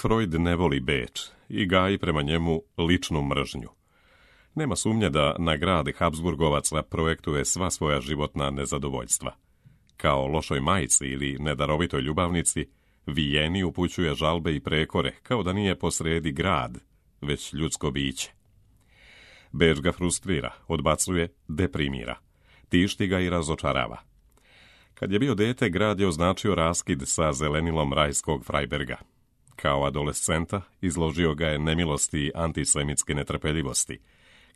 Freud ne voli Beč i gaji prema njemu ličnu mržnju. Nema sumnje da na grad Habsburgovaca projektuje sva svoja životna nezadovoljstva. Kao lošoj majci ili nedarovitoj ljubavnici, Vijeni upućuje žalbe i prekore, kao da nije posredi grad, već ljudsko biće. Beč ga frustrira, odbacuje, deprimira. Tišti ga i razočarava. Kad je bio dete, grad je označio raskid sa zelenilom rajskog Freiberga. Kao adolescenta izložio ga je nemilosti i antisemitske netrpeljivosti.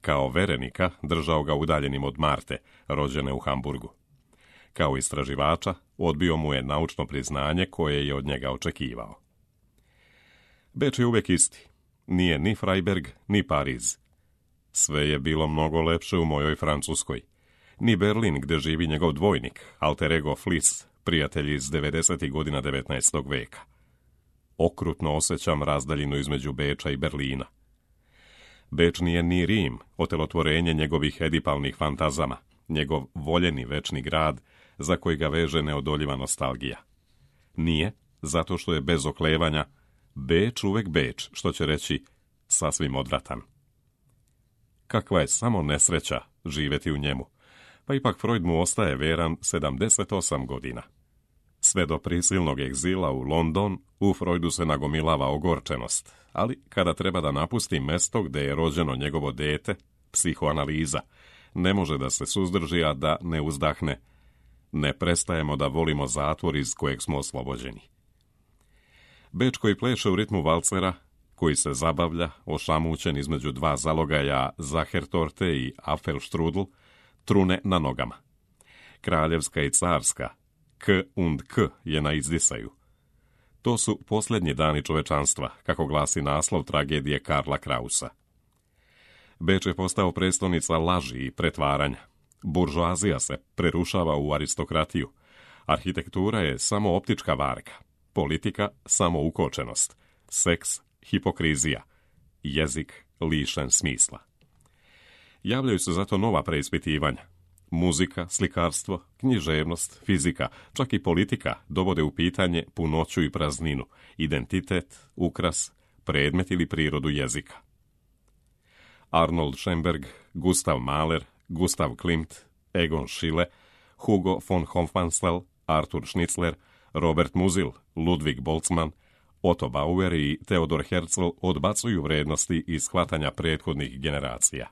Kao verenika držao ga udaljenim od Marte, rođene u Hamburgu. Kao istraživača odbio mu je naučno priznanje koje je od njega očekivao. Beč je uvijek isti. Nije ni Freiberg, ni Pariz. Sve je bilo mnogo lepše u mojoj Francuskoj. Ni Berlin, gdje živi njegov dvojnik, alter ego Flis, prijatelj iz 90. godina 19. veka. Okrutno osjećam razdaljinu između Beča i Berlina. Beč nije ni Rim, otelotvorenje njegovih edipalnih fantazama, njegov voljeni večni grad za koji ga veže neodoljiva nostalgija. Nije, zato što je bez oklevanja Beč uvek Beč, što će reći sasvim odvratan. Kakva je samo nesreća živjeti u njemu, pa ipak Freud mu ostaje veran 78 godina. Sve do prisilnog egzila u London, u Freudu se nagomilava ogorčenost, ali kada treba da napusti mesto gdje je rođeno njegovo dete, psihoanaliza, ne može da se suzdrži, a da ne uzdahne: ne prestajemo da volimo zatvor iz kojeg smo oslobođeni. Beč koji pleše u ritmu valcera, koji se zabavlja, ošamućen između dva zalogaja Zachertorte i Apfelstrudel, trune na nogama. Kraljevska i carska, K und K je na izdisaju. To su posljednji dani čovečanstva, kako glasi naslov tragedije Karla Krausa. Beč je postao prestolnica laži i pretvaranja. Buržoazija se prerušava u aristokratiju. Arhitektura je samo optička varka. Politika samo ukočenost. Seks hipokrizija. Jezik lišen smisla. Javljaju se zato nova preispitivanja. Muzika, slikarstvo, književnost, fizika, čak i politika dovode u pitanje punoću i prazninu, identitet, ukras, predmet ili prirodu jezika. Arnold Schoenberg, Gustav Mahler, Gustav Klimt, Egon Schiele, Hugo von Hofmannsthal, Arthur Schnitzler, Robert Musil, Ludwig Boltzmann, Otto Bauer i Theodor Herzl odbacuju vrednosti iz shvatanja prethodnih generacija.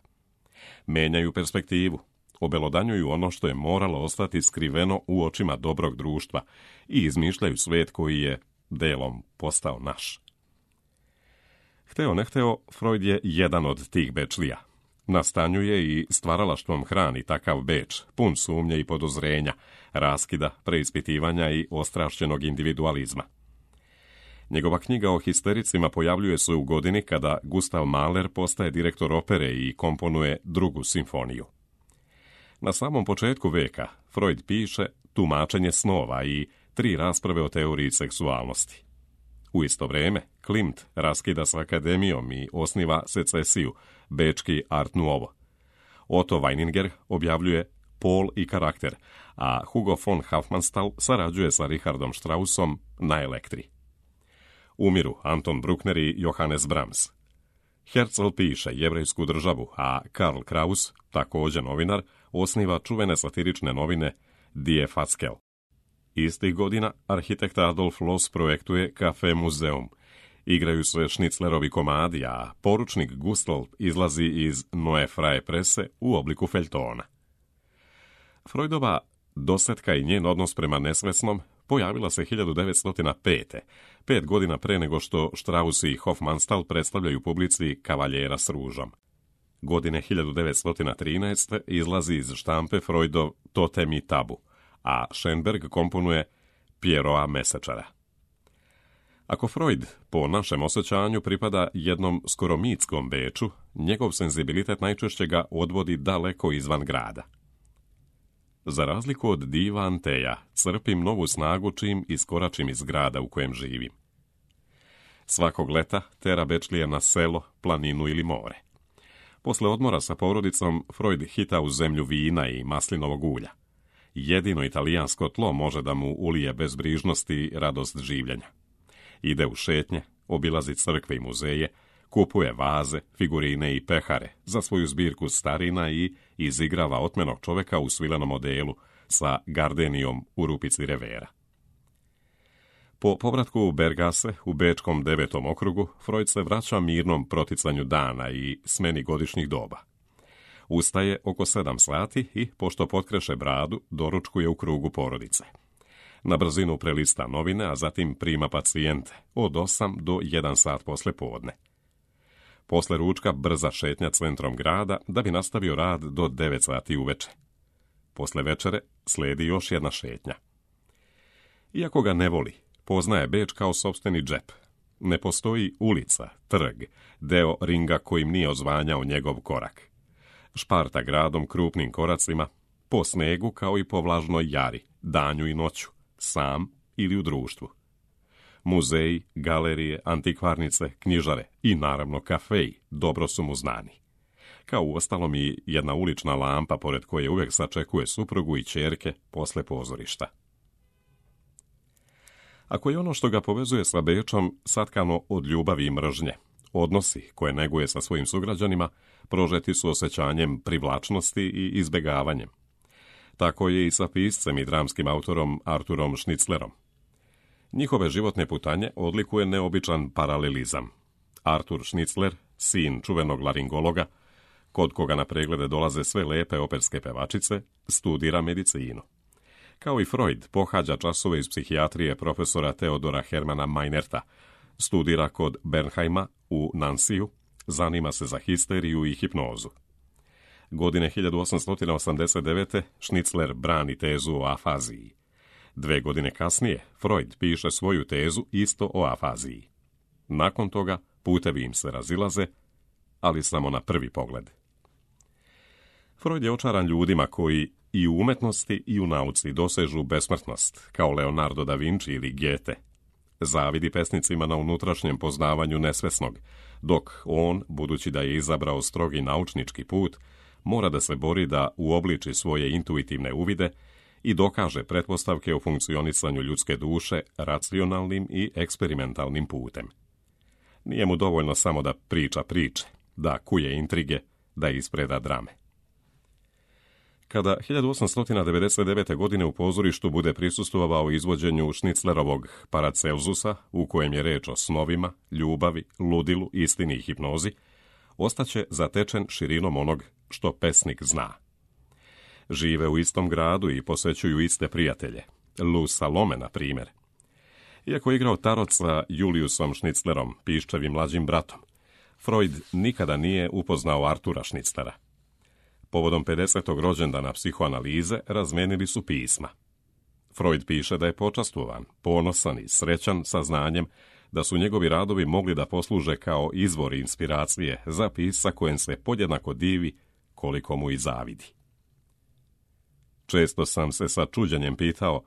Menjaju perspektivu, obelodanjuju ono što je moralo ostati skriveno u očima dobrog društva i izmišljaju svijet koji je delom postao naš. Hteo ne hteo, Freud je jedan od tih Bečlija. Nastanjuje i stvaralaštvom hrani takav Beč, pun sumnje i podozrenja, raskida, preispitivanja i ostrašćenog individualizma. Njegova knjiga o histericima pojavljuje se u godini kada Gustav Mahler postaje direktor opere i komponuje drugu simfoniju. Na samom početku veka Freud piše Tumačenje snova i 3 rasprave o teoriji seksualnosti. U isto vrijeme Klimt raskida s akademijom i osniva secesiju, bečki Art Nouveau. Otto Weininger objavljuje Pol i karakter, a Hugo von Hofmannsthal sarađuje sa Richardom Straussom na Elektri. Umiru Anton Bruckner i Johannes Brahms. Herzl piše Jevrejsku državu, a Karl Kraus, također novinar, osniva čuvene satirične novine Die Fatzel. Istih godina arhitekt Adolf Loos projektuje Kafe Muzeum. Igraju se Schnitzlerovi komadi, a poručnik Gustl izlazi iz Neue Freie Presse u obliku feljtona. Freudova dosetka i njen odnos prema nesvesnom pojavila se 1905. 5 godina pre nego što Strauss i Hofmannsthal predstavljaju publici Kavaljera s ružom. Godine 1913. izlazi iz štampe Freudov Totem i tabu, a Schoenberg komponuje Pierrota Mesečara. Ako Freud, po našem osjećanju, pripada jednom skoro mitskom Beču, njegov senzibilitet najčešće ga odvodi daleko izvan grada. Za razliku od diva Anteja, crpim novu snagu čim iskoračim iz grada u kojem živim. Svakog leta tera Bečlija na selo, planinu ili more. Posle odmora sa porodicom, Freud hita u zemlju vina i maslinovog ulja. Jedino italijansko tlo može da mu ulije bezbrižnost i radost življenja. Ide u šetnje, obilazi crkve i muzeje, kupuje vaze, figurine i pehare za svoju zbirku starina i izigrava otmenog čoveka u svilenom odelu sa gardenijom u rupici revera. Po povratku u Bergase, u bečkom 9. okrugu, Freud se vraća mirnom proticanju dana i smeni godišnjih doba. Ustaje oko 7 sati i, pošto potkreše bradu, doručkuje u krugu porodice. Na brzinu prelista novine, a zatim prima pacijente od 8 do 1 sat posle podne. Posle ručka brza šetnja centrom grada da bi nastavio rad do 9 sati uveče. Posle večere slijedi još jedna šetnja. Iako ga ne voli, poznaje Beč kao sopstveni džep. Ne postoji ulica, trg, deo ringa kojim nije ozvanjao njegov korak. Šparta gradom krupnim koracima, po snegu kao i po vlažnoj jari, danju i noću, sam ili u društvu. Muzeji, galerije, antikvarnice, knjižare i naravno kafeji dobro su mu znani. Kao uostalom i jedna ulična lampa pored koje uvijek sačekuje suprugu i ćerke posle pozorišta. Ako je ono što ga povezuje sa Bečom satkano od ljubavi i mržnje, odnosi koje neguje sa svojim sugrađanima prožeti su osjećanjem privlačnosti i izbjegavanjem. Tako je i sa piscem i dramskim autorom Arturom Schnitzlerom. Njihove životne putanje odlikuje neobičan paralelizam. Artur Schnitzler, sin čuvenog laringologa, kod koga na preglede dolaze sve lepe operske pevačice, studira medicinu. Kao i Freud, pohađa časove iz psihijatrije profesora Teodora Hermana Meinerta, studira kod Bernheima u Nansiju, zanima se za histeriju i hipnozu. Godine 1889. Schnitzler brani tezu o afaziji. 2 godine kasnije Freud piše svoju tezu isto o afaziji. Nakon toga putevi im se razilaze, ali samo na prvi pogled. Freud je očaran ljudima koji i u umetnosti i u nauci dosežu besmrtnost, kao Leonardo da Vinci ili Goethe. Zavidi pesnicima na unutrašnjem poznavanju nesvesnog, dok on, budući da je izabrao strogi naučnički put, mora da se bori da uobliči svoje intuitivne uvide i dokaže pretpostavke o funkcionisanju ljudske duše racionalnim i eksperimentalnim putem. Nije mu dovoljno samo da priča priče, da kuje intrige, da ispreda drame. Kada 1899. godine u pozorištu bude prisustvovao izvođenju Schnitzlerovog Paracelsusa, u kojem je reč o snovima, ljubavi, ludilu, istini i hipnozi, ostaće zatečen širinom onog što pesnik zna. Žive u istom gradu i posvećuju iste prijatelje. Lou Salome, na primjer. Iako je igrao tarot sa Juliusom Schnitzlerom, piščevim mlađim bratom, Freud nikada nije upoznao Artura Schnitzlera. Povodom 50. rođendana psihoanalize razmenili su pisma. Freud piše da je počastvovan, ponosan i srećan sa znanjem da su njegovi radovi mogli da posluže kao izvor inspiracije za pisca kojem se podjednako divi koliko mu i zavidi. Često sam se sa čuđenjem pitao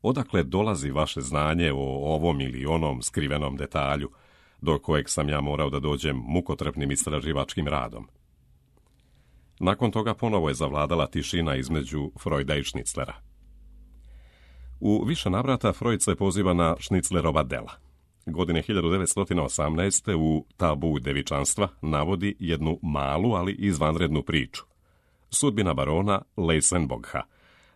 odakle dolazi vaše znanje o ovom ili onom skrivenom detalju, do kojeg sam ja morao da dođem mukotrpnim istraživačkim radom. Nakon toga ponovo je zavladala tišina između Freuda i Schnitzlera. U više navrata Freud se poziva na Schnitzlerova dela. Godine 1918. u Tabu devičanstva navodi jednu malu, ali izvanrednu priču. Sudbina barona Leisenbogha,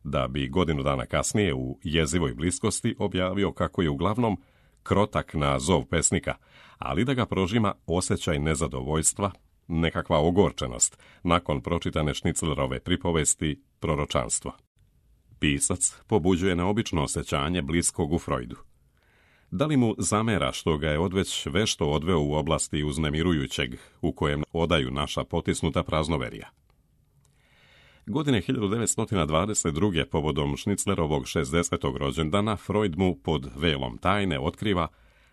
da bi godinu dana kasnije u Jezivoj bliskosti objavio kako je uglavnom krotak na zov pesnika, ali da ga prožima osjećaj nezadovoljstva, nekakva ogorčenost nakon pročitane Schnitzlerove pripovesti Proročanstvo. Pisac pobuđuje neobično osjećanje bliskog u Freudu. Da li mu zamera što ga je odveć vešto odveo u oblasti uznemirujućeg u kojem odaju naša potisnuta praznoverija? Godine 1922. povodom Schnitzlerovog 60. rođendana Freud mu pod velom tajne otkriva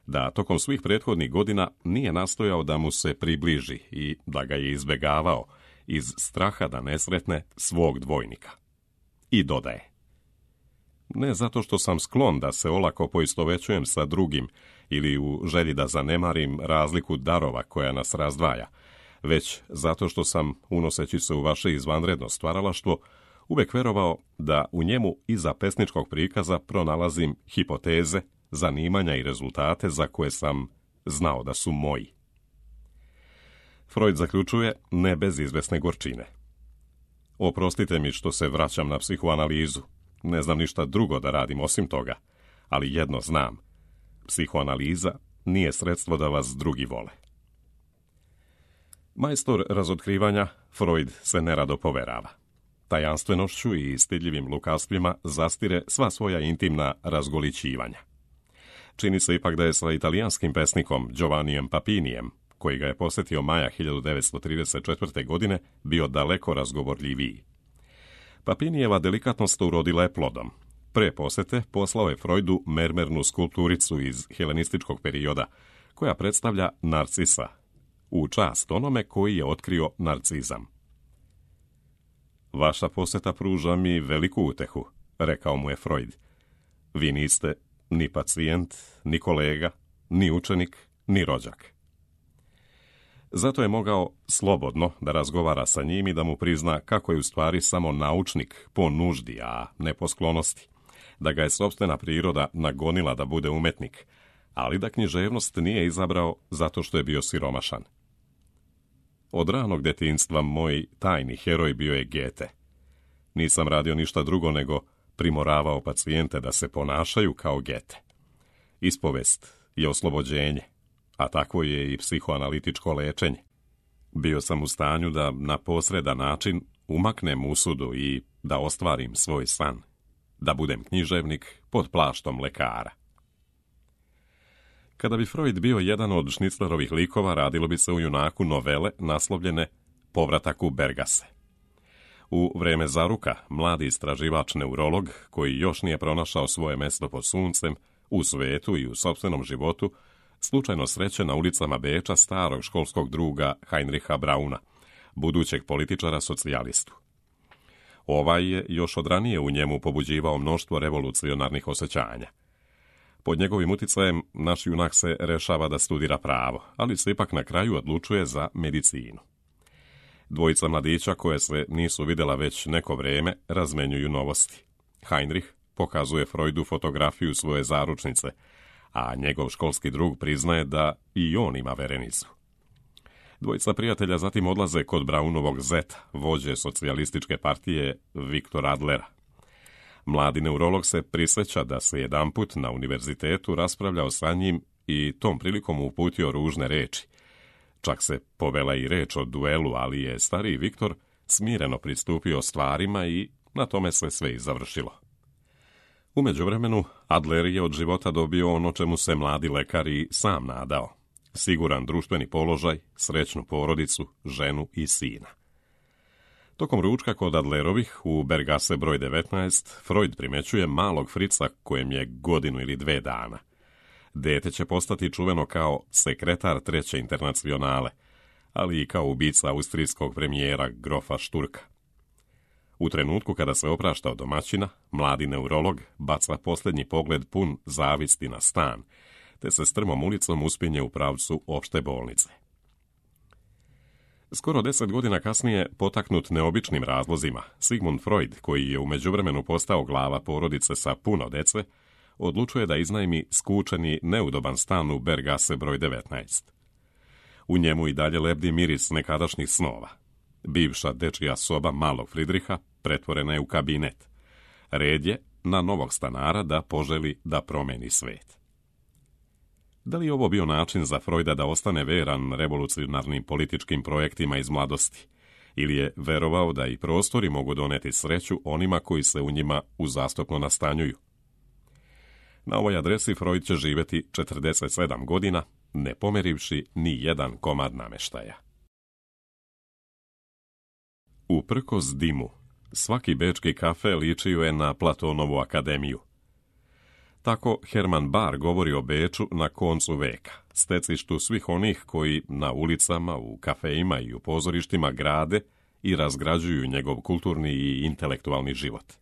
da tokom svih prethodnih godina nije nastojao da mu se približi i da ga je izbjegavao iz straha da ne sretne svog dvojnika. I dodaje: ne zato što sam sklon da se olako poistovećujem sa drugim ili u želji da zanemarim razliku darova koja nas razdvaja, već zato što sam, unoseći se u vaše izvanredno stvaralaštvo, uvek verovao da u njemu iza pesničkog prikaza pronalazim hipoteze, zanimanja i rezultate za koje sam znao da su moji. Freud zaključuje ne bez izvesne gorčine. Oprostite mi što se vraćam na psihoanalizu. Ne znam ništa drugo da radim osim toga, ali jedno znam. Psihoanaliza nije sredstvo da vas drugi vole. Majstor razotkrivanja, Freud se nerado poverava. Tajanstvenošću i stidljivim lukavstvima zastire sva svoja intimna razgolićivanja. Čini se ipak da je sa italijanskim pesnikom Giovannijem Papinijem, koji ga je posjetio maja 1934. godine, bio daleko razgovorljiviji. Papinijeva delikatnost urodila je plodom. Pre posete poslao je Freudu mermernu skulpturicu iz helenističkog perioda, koja predstavlja Narcisa, u čast onome koji je otkrio narcizam. Vaša poseta pruža mi veliku utehu, rekao mu je Freud. Vi niste ni pacijent, ni kolega, ni učenik, ni rođak. Zato je mogao slobodno da razgovara sa njim i da mu prizna kako je u stvari samo naučnik po nuždi, a ne po sklonosti, da ga je sopstvena priroda nagonila da bude umetnik, ali da književnost nije izabrao zato što je bio siromašan. Od ranog detinjstva moj tajni heroj bio je Goethe. Nisam radio ništa drugo nego primoravao pacijente da se ponašaju kao Goethe. Ispovest je oslobođenje, a takvo je i psihoanalitičko lečenje. Bio sam u stanju da na posredan način umaknem usudu i da ostvarim svoj san, da budem književnik pod plaštom lekara. Kada bi Freud bio jedan od Šniclerovih likova, radilo bi se u junaku novele naslovljene Povratak u Bergase. U vreme zaruka, mladi istraživač neurolog, koji još nije pronašao svoje mesto pod suncem, u svetu i u sopstvenom životu, slučajno sreće na ulicama Beča starog školskog druga Heinricha Brauna, budućeg političara socijalistu. Ovaj je još od ranije u njemu pobuđivao mnoštvo revolucionarnih osjećanja. Pod njegovim uticajem naš junak se rešava da studira pravo, ali se ipak na kraju odlučuje za medicinu. Dvojica mladića koje se nisu vidjela već neko vreme razmenjuju novosti. Heinrich pokazuje Freudu fotografiju svoje zaručnice, a njegov školski drug priznaje da i on ima verenicu. Dvojica prijatelja zatim odlaze kod Braunovog zeta, vođe socijalističke partije Viktora Adlera. Mladi neurolog se prisjeća da se jedanput na univerzitetu raspravljao sa njim i tom prilikom uputio ružne reči. Čak se povela i reč o duelu, ali je stariji Viktor smireno pristupio stvarima i na tome se sve i završilo. U međuvremenu, Adler je od života dobio ono čemu se mladi lekar i sam nadao. Siguran društveni položaj, srećnu porodicu, ženu i sina. Tokom ručka kod Adlerovih u Bergase broj 19, Freud primećuje malog Frica kojem je 1 ili 2 dana. Dete će postati čuveno kao sekretar Treće internacionale, ali i kao ubica austrijskog premijera grofa Šturka. U trenutku kada se oprašta od domaćina, mladi neurolog baca posljednji pogled pun zavisti na stan, te se strmom ulicom uspinje u pravcu opšte bolnice. Skoro 10 godina kasnije, potaknut neobičnim razlozima, Sigmund Freud, koji je u međuvremenu postao glava porodice sa puno dece, odlučuje da iznajmi skučeni, neudoban stan u Bergase broj 19. U njemu i dalje lebdi miris nekadašnjih snova. Bivša dečija soba malog Fridriha pretvorena je u kabinet. Red je na novog stanara da poželi da promeni svet. Da li je ovo bio način za Freuda da ostane veran revolucionarnim političkim projektima iz mladosti? Ili je verovao da i prostori mogu doneti sreću onima koji se u njima uzastopno nastanjuju? Na ovoj adresi Freud će živjeti 47 godina, ne pomerivši ni jedan komad nameštaja. Uprkos dimu, svaki bečki kafe ličio je na Platonovu akademiju. Tako Hermann Bahr govori o Beču na koncu veka, stecištu svih onih koji na ulicama, u kafejima i u pozorištima grade i razgrađuju njegov kulturni i intelektualni život.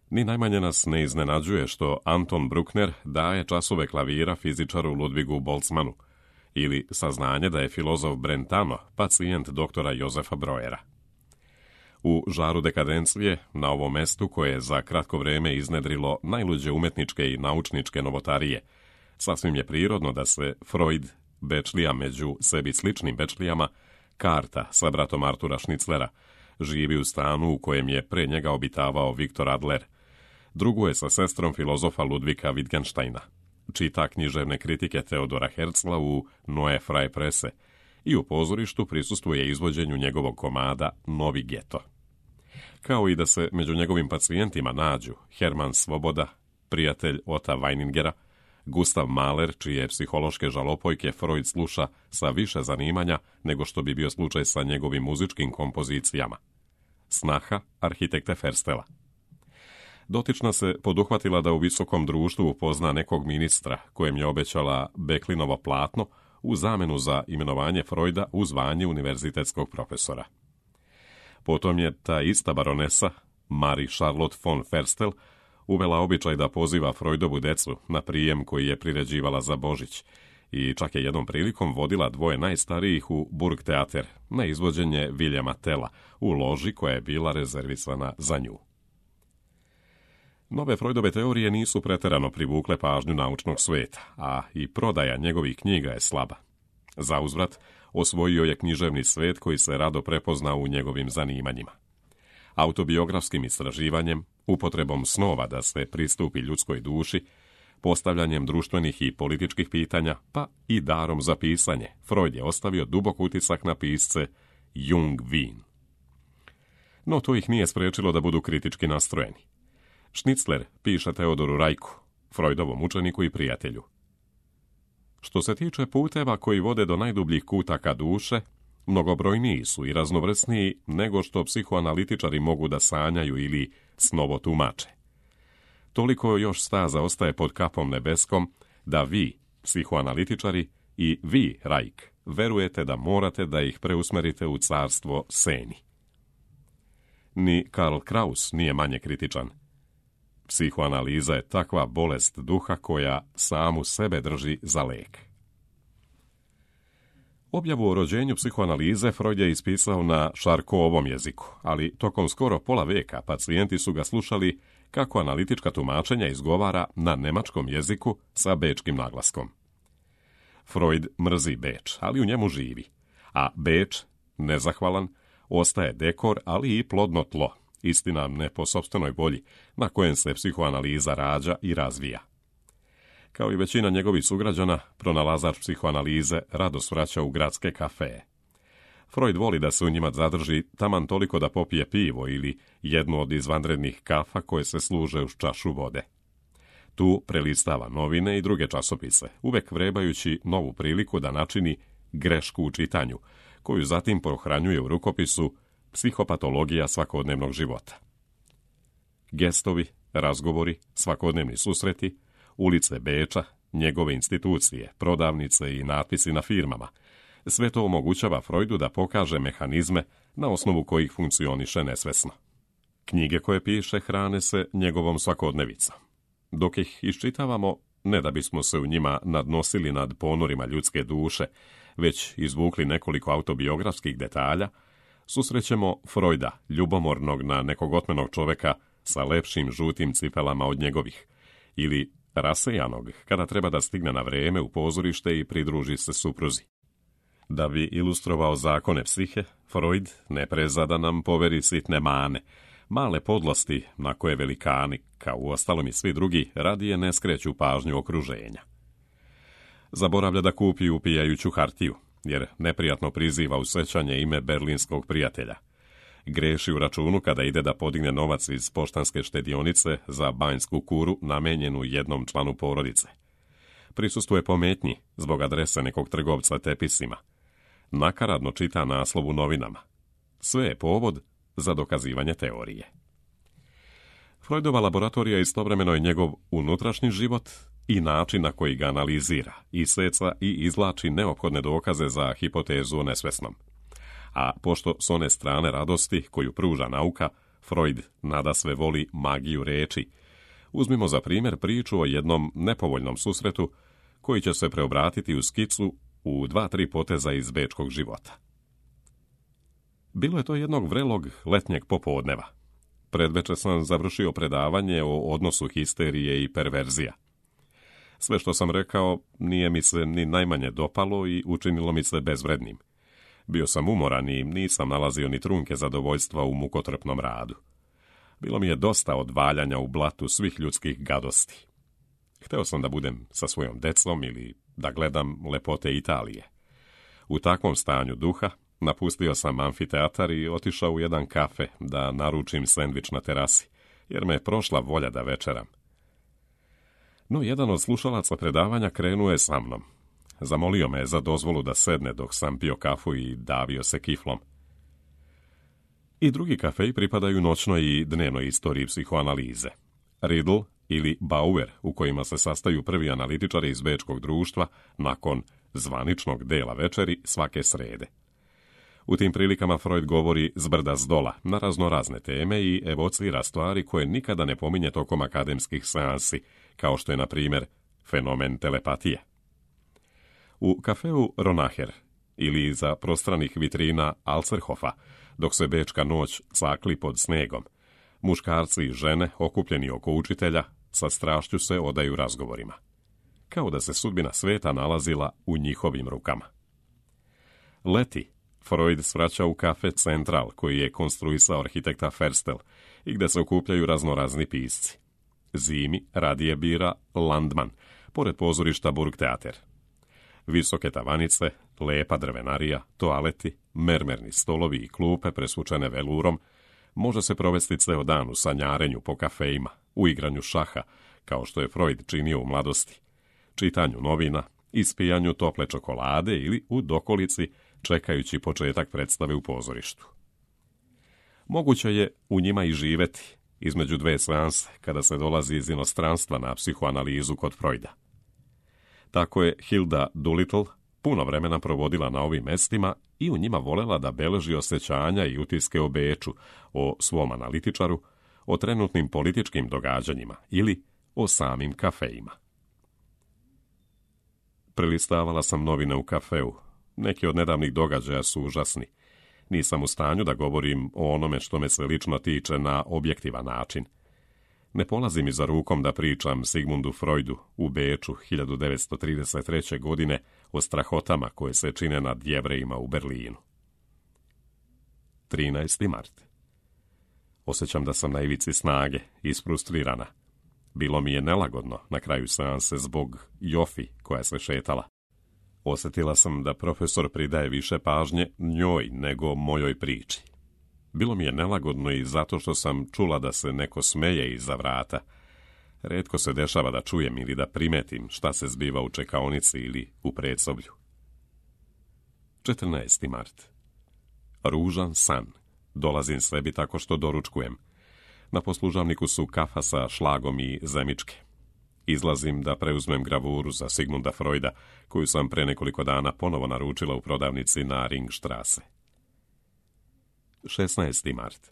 Ni najmanje nas ne iznenađuje što Anton Bruckner daje časove klavira fizičaru Ludvigu Boltzmannu, ili saznanje da je filozof Brentano pacijent doktora Jozefa Breuera. U žaru dekadencije, na ovom mestu koje je za kratko vreme iznedrilo najluđe umetničke i naučničke novotarije, sasvim je prirodno da se Freud Bečlija među sebi sličnim Bečlijama, Karta sa bratom Artura Šniclera, živi u stanu u kojem je pre njega obitavao Viktor Adler. Drugo je sa sestrom filozofa Ludvika Wittgensteina. Čita književne kritike Teodora Herzla u Neue Freie Presse i u pozorištu prisustvuje izvođenju njegovog komada Novi geto. Kao i da se među njegovim pacijentima nađu Hermann Svoboda, prijatelj Ota Weiningera, Gustav Mahler, čije psihološke žalopojke Freud sluša sa više zanimanja nego što bi bio slučaj sa njegovim muzičkim kompozicijama. Snaha arhitekte Ferstela. Dotična se poduhvatila da u visokom društvu upozna nekog ministra kojem je obećala Beklinovo platno u zamenu za imenovanje Freuda u zvanje univerzitetskog profesora. Potom je ta ista baronesa, Marie Charlotte von Ferstel, uvela običaj da poziva Freudovu decu na prijem koji je priređivala za Božić i čak je jednom prilikom vodila dvoje najstarijih u Burgtheater na izvođenje Viljama Tella u loži koja je bila rezervisana za nju. Nove Freudove teorije nisu preterano privukle pažnju naučnog sveta, a i prodaja njegovih knjiga je slaba. Zauzvrat, osvojio je književni svet koji se rado prepoznao u njegovim zanimanjima. Autobiografskim istraživanjem, upotrebom snova da se pristupi ljudskoj duši, postavljanjem društvenih i političkih pitanja, pa i darom za pisanje, Freud je ostavio dubok utisak na pisce Jung Wien. No to ih nije sprečilo da budu kritički nastrojeni. Šnicler piše Teodoru Rajku, Freudovom učeniku i prijatelju. Što se tiče puteva koji vode do najdubljih kutaka duše, mnogobrojniji su i raznovrsniji nego što psihoanalitičari mogu da sanjaju ili snovo tumače. Toliko još staza ostaje pod kapom nebeskom da vi, psihoanalitičari, i vi, Rajk, verujete da morate da ih preusmerite u carstvo seni. Ni Karl Kraus nije manje kritičan. Psihoanaliza je takva bolest duha koja samu sebe drži za lek. Objavu o rođenju psihoanalize Freud je ispisao na Šarkovom jeziku, ali tokom skoro pola veka pacijenti su ga slušali kako analitička tumačenja izgovara na nemačkom jeziku sa bečkim naglaskom. Freud mrzi Beč, ali u njemu živi, a Beč, nezahvalan, ostaje dekor, ali i plodno tlo, istina ne po sopstvenoj volji, na kojem se psihoanaliza rađa i razvija. Kao i većina njegovih sugrađana, pronalazač psihoanalize rado svraća u gradske kafeje. Freud voli da se u njima zadrži taman toliko da popije pivo ili jednu od izvanrednih kafa koje se služe uz čašu vode. Tu prelistava novine i druge časopise, uvek vrebajući novu priliku da načini grešku u čitanju, koju zatim pohranjuje u rukopisu Psihopatologija svakodnevnog života. Gestovi, razgovori, svakodnevni susreti, ulice Beča, njegove institucije, prodavnice i natpisi na firmama. Sve to omogućava Freudu da pokaže mehanizme na osnovu kojih funkcioniše nesvesno. Knjige koje piše hrane se njegovom svakodnevicom. Dok ih iščitavamo, ne da bismo se u njima nadnosili nad ponorima ljudske duše, već izvukli nekoliko autobiografskih detalja, susrećemo Freuda, ljubomornog na nekog otmenog čoveka sa lepšim žutim cipelama od njegovih, ili rasejanog kada treba da stigne na vreme u pozorište i pridruži se supruzi. Da bi ilustrovao zakone psihe, Freud ne preza da nam poveri sitne mane, male podlosti na koje velikani, kao uostalom i svi drugi, radije ne skreću pažnju okruženja. Zaboravlja da kupi upijajuću hartiju, jer neprijatno priziva u sećanje ime berlinskog prijatelja. Greši u računu kada ide da podigne novac iz poštanske štedionice za banjsku kuru namenjenu jednom članu porodice. Prisustvuje pometnji zbog adrese nekog trgovca tepisima. Nakaradno čita naslov u novinama. Sve je povod za dokazivanje teorije. Freudova laboratorija istovremeno je njegov unutrašnji život i način na koji ga analizira, iseca i izvlači neophodne dokaze za hipotezu o nesvesnom. A pošto s one strane radosti koju pruža nauka, Freud nadasve voli magiju reči. Uzmimo za primjer priču o jednom nepovoljnom susretu koji će se preobratiti u skicu u 2-3 poteza iz bečkog života. Bilo je to jednog vrelog letnjeg popodneva. Predveče sam završio predavanje o odnosu histerije i perverzija. Sve što sam rekao nije mi se ni najmanje dopalo i učinilo mi se bezvrednim. Bio sam umoran i nisam nalazio ni trunke zadovoljstva u mukotrpnom radu. Bilo mi je dosta odvaljanja u blatu svih ljudskih gadosti. Hteo sam da budem sa svojom decom ili da gledam lepote Italije. U takvom stanju duha napustio sam amfiteatar i otišao u jedan kafe da naručim sendvič na terasi, jer me je prošla volja da večeram. No, jedan od slušalaca predavanja krenuo je sa mnom. Zamolio me za dozvolu da sedne dok sam pio kafu i davio se kiflom. I drugi kafeji pripadaju noćnoj i dnevnoj istoriji psihoanalize. Riddle ili Bauer, u kojima se sastaju prvi analitičari iz bečkog društva nakon zvaničnog dela večeri svake srede. U tim prilikama Freud govori zbrda zdola na raznorazne teme i evocira stvari koje nikada ne pominje tokom akademskih seansi, kao što je, na primjer, fenomen telepatije. U kafeu Ronacher ili iza prostranih vitrina Alzerhofa, dok se bečka noć cakli pod snegom, muškarci i žene, okupljeni oko učitelja, sa strašću se odaju razgovorima. Kao da se sudbina sveta nalazila u njihovim rukama. Leti Freud svraća u kafe Central, koji je konstruisao arhitekta Ferstel i gde se okupljaju raznorazni pisci. Zimi radije bira Landman, pored pozorišta Burgtheater. Visoke tavanice, lepa drvenarija, toaleti, mermerni stolovi i klupe presvučene velurom, može se provesti ceo dan u sanjarenju po kafejima, u igranju šaha, kao što je Freud činio u mladosti, čitanju novina, ispijanju tople čokolade ili u dokolici čekajući početak predstave u pozorištu. Moguće je u njima i živeti, između dve seanse, kada se dolazi iz inostranstva na psihoanalizu kod Freuda. Tako je Hilda Doolittle puno vremena provodila na ovim mestima i u njima volela da beleži osjećanja i utiske o Beču, o svom analitičaru, o trenutnim političkim događanjima ili o samim kafejima. Prelistavala sam novine u kafeu. Neki od nedavnih događaja su užasni. Nisam u stanju da govorim o onome što me se lično tiče na objektivan način. Ne polazi mi za rukom da pričam Sigmundu Freudu u Beču 1933. godine o strahotama koje se čine nad Jevrejima u Berlinu. 13. mart. Osjećam da sam na ivici snage, isfrustrirana. Bilo mi je nelagodno na kraju seanse zbog Jofi koja se šetala. Osjetila sam da profesor pridaje više pažnje njoj nego mojoj priči. Bilo mi je nelagodno i zato što sam čula da se neko smeje iza vrata. Retko se dešava da čujem ili da primetim šta se zbiva u čekaonici ili u predsoblju. 14. mart. Ružan san. Dolazim sebi tako što doručkujem. Na poslužavniku su kafa sa šlagom i zemičke. Izlazim da preuzmem gravuru za Sigmunda Freuda, koju sam pre nekoliko dana ponovo naručila u prodavnici na Ringstrasse. 16. mart.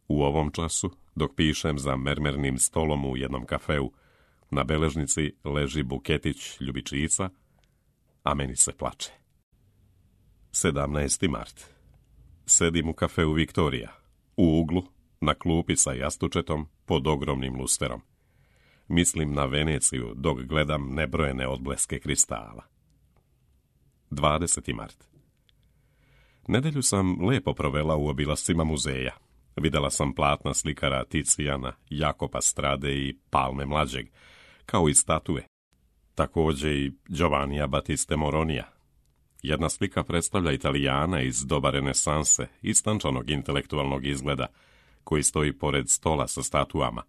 U ovom času, dok pišem za mermernim stolom u jednom kafeu, na beležnici leži buketić ljubičica, a meni se plače. 17. mart. Sedim u kafeu Viktorija, u uglu, na klupi sa jastučetom pod ogromnim lusterom. Mislim na Veneciju dok gledam nebrojene odbleske kristala. 20. mart. Nedelju sam lepo provela u obilascima muzeja. Videla sam platna slikara Ticijana, Jakopa Strade i Palme mlađeg, kao i statue. Također i Giovannija Battiste Moronija. Jedna slika predstavlja Italijana iz doba renesanse, istančanog intelektualnog izgleda, koji stoji pored stola sa statuama,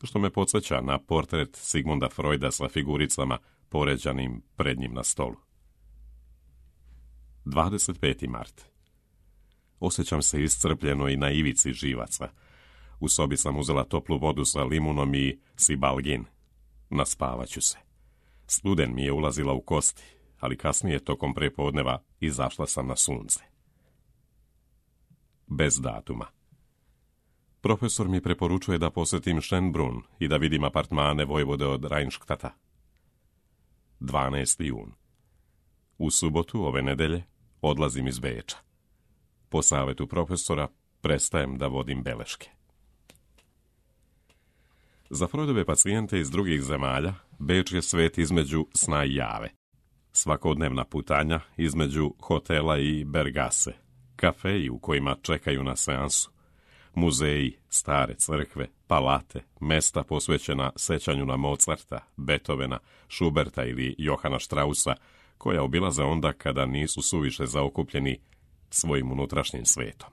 što me podsjeća na portret Sigmunda Freuda sa figuricama poređanim pred njim na stolu. 25. mart. Osjećam se iscrpljeno i na ivici živaca. U sobi sam uzela toplu vodu sa limunom i sibalgin. Naspavaću se. Studen mi je ulazila u kosti, ali kasnije tokom prepodneva izašla sam na sunce. Bez datuma. Profesor mi preporučuje da posjetim Schönbrunn i da vidim apartmane vojvode od Rheinstadta. 12. jun. U subotu ove nedelje odlazim iz Beča. Po savjetu profesora prestajem da vodim beleške. Za Freudove pacijente iz drugih zemalja, Beč je svet između sna i jave. Svakodnevna putanja između hotela i Bergase, kafeji u kojima čekaju na seansu, muzeji, stare crkve, palate, mesta posvećena sećanju na Mozarta, Beethovena, Schuberta ili Johana Straussa, koja obilaze onda kada nisu suviše zaokupljeni svojim unutrašnjim svetom.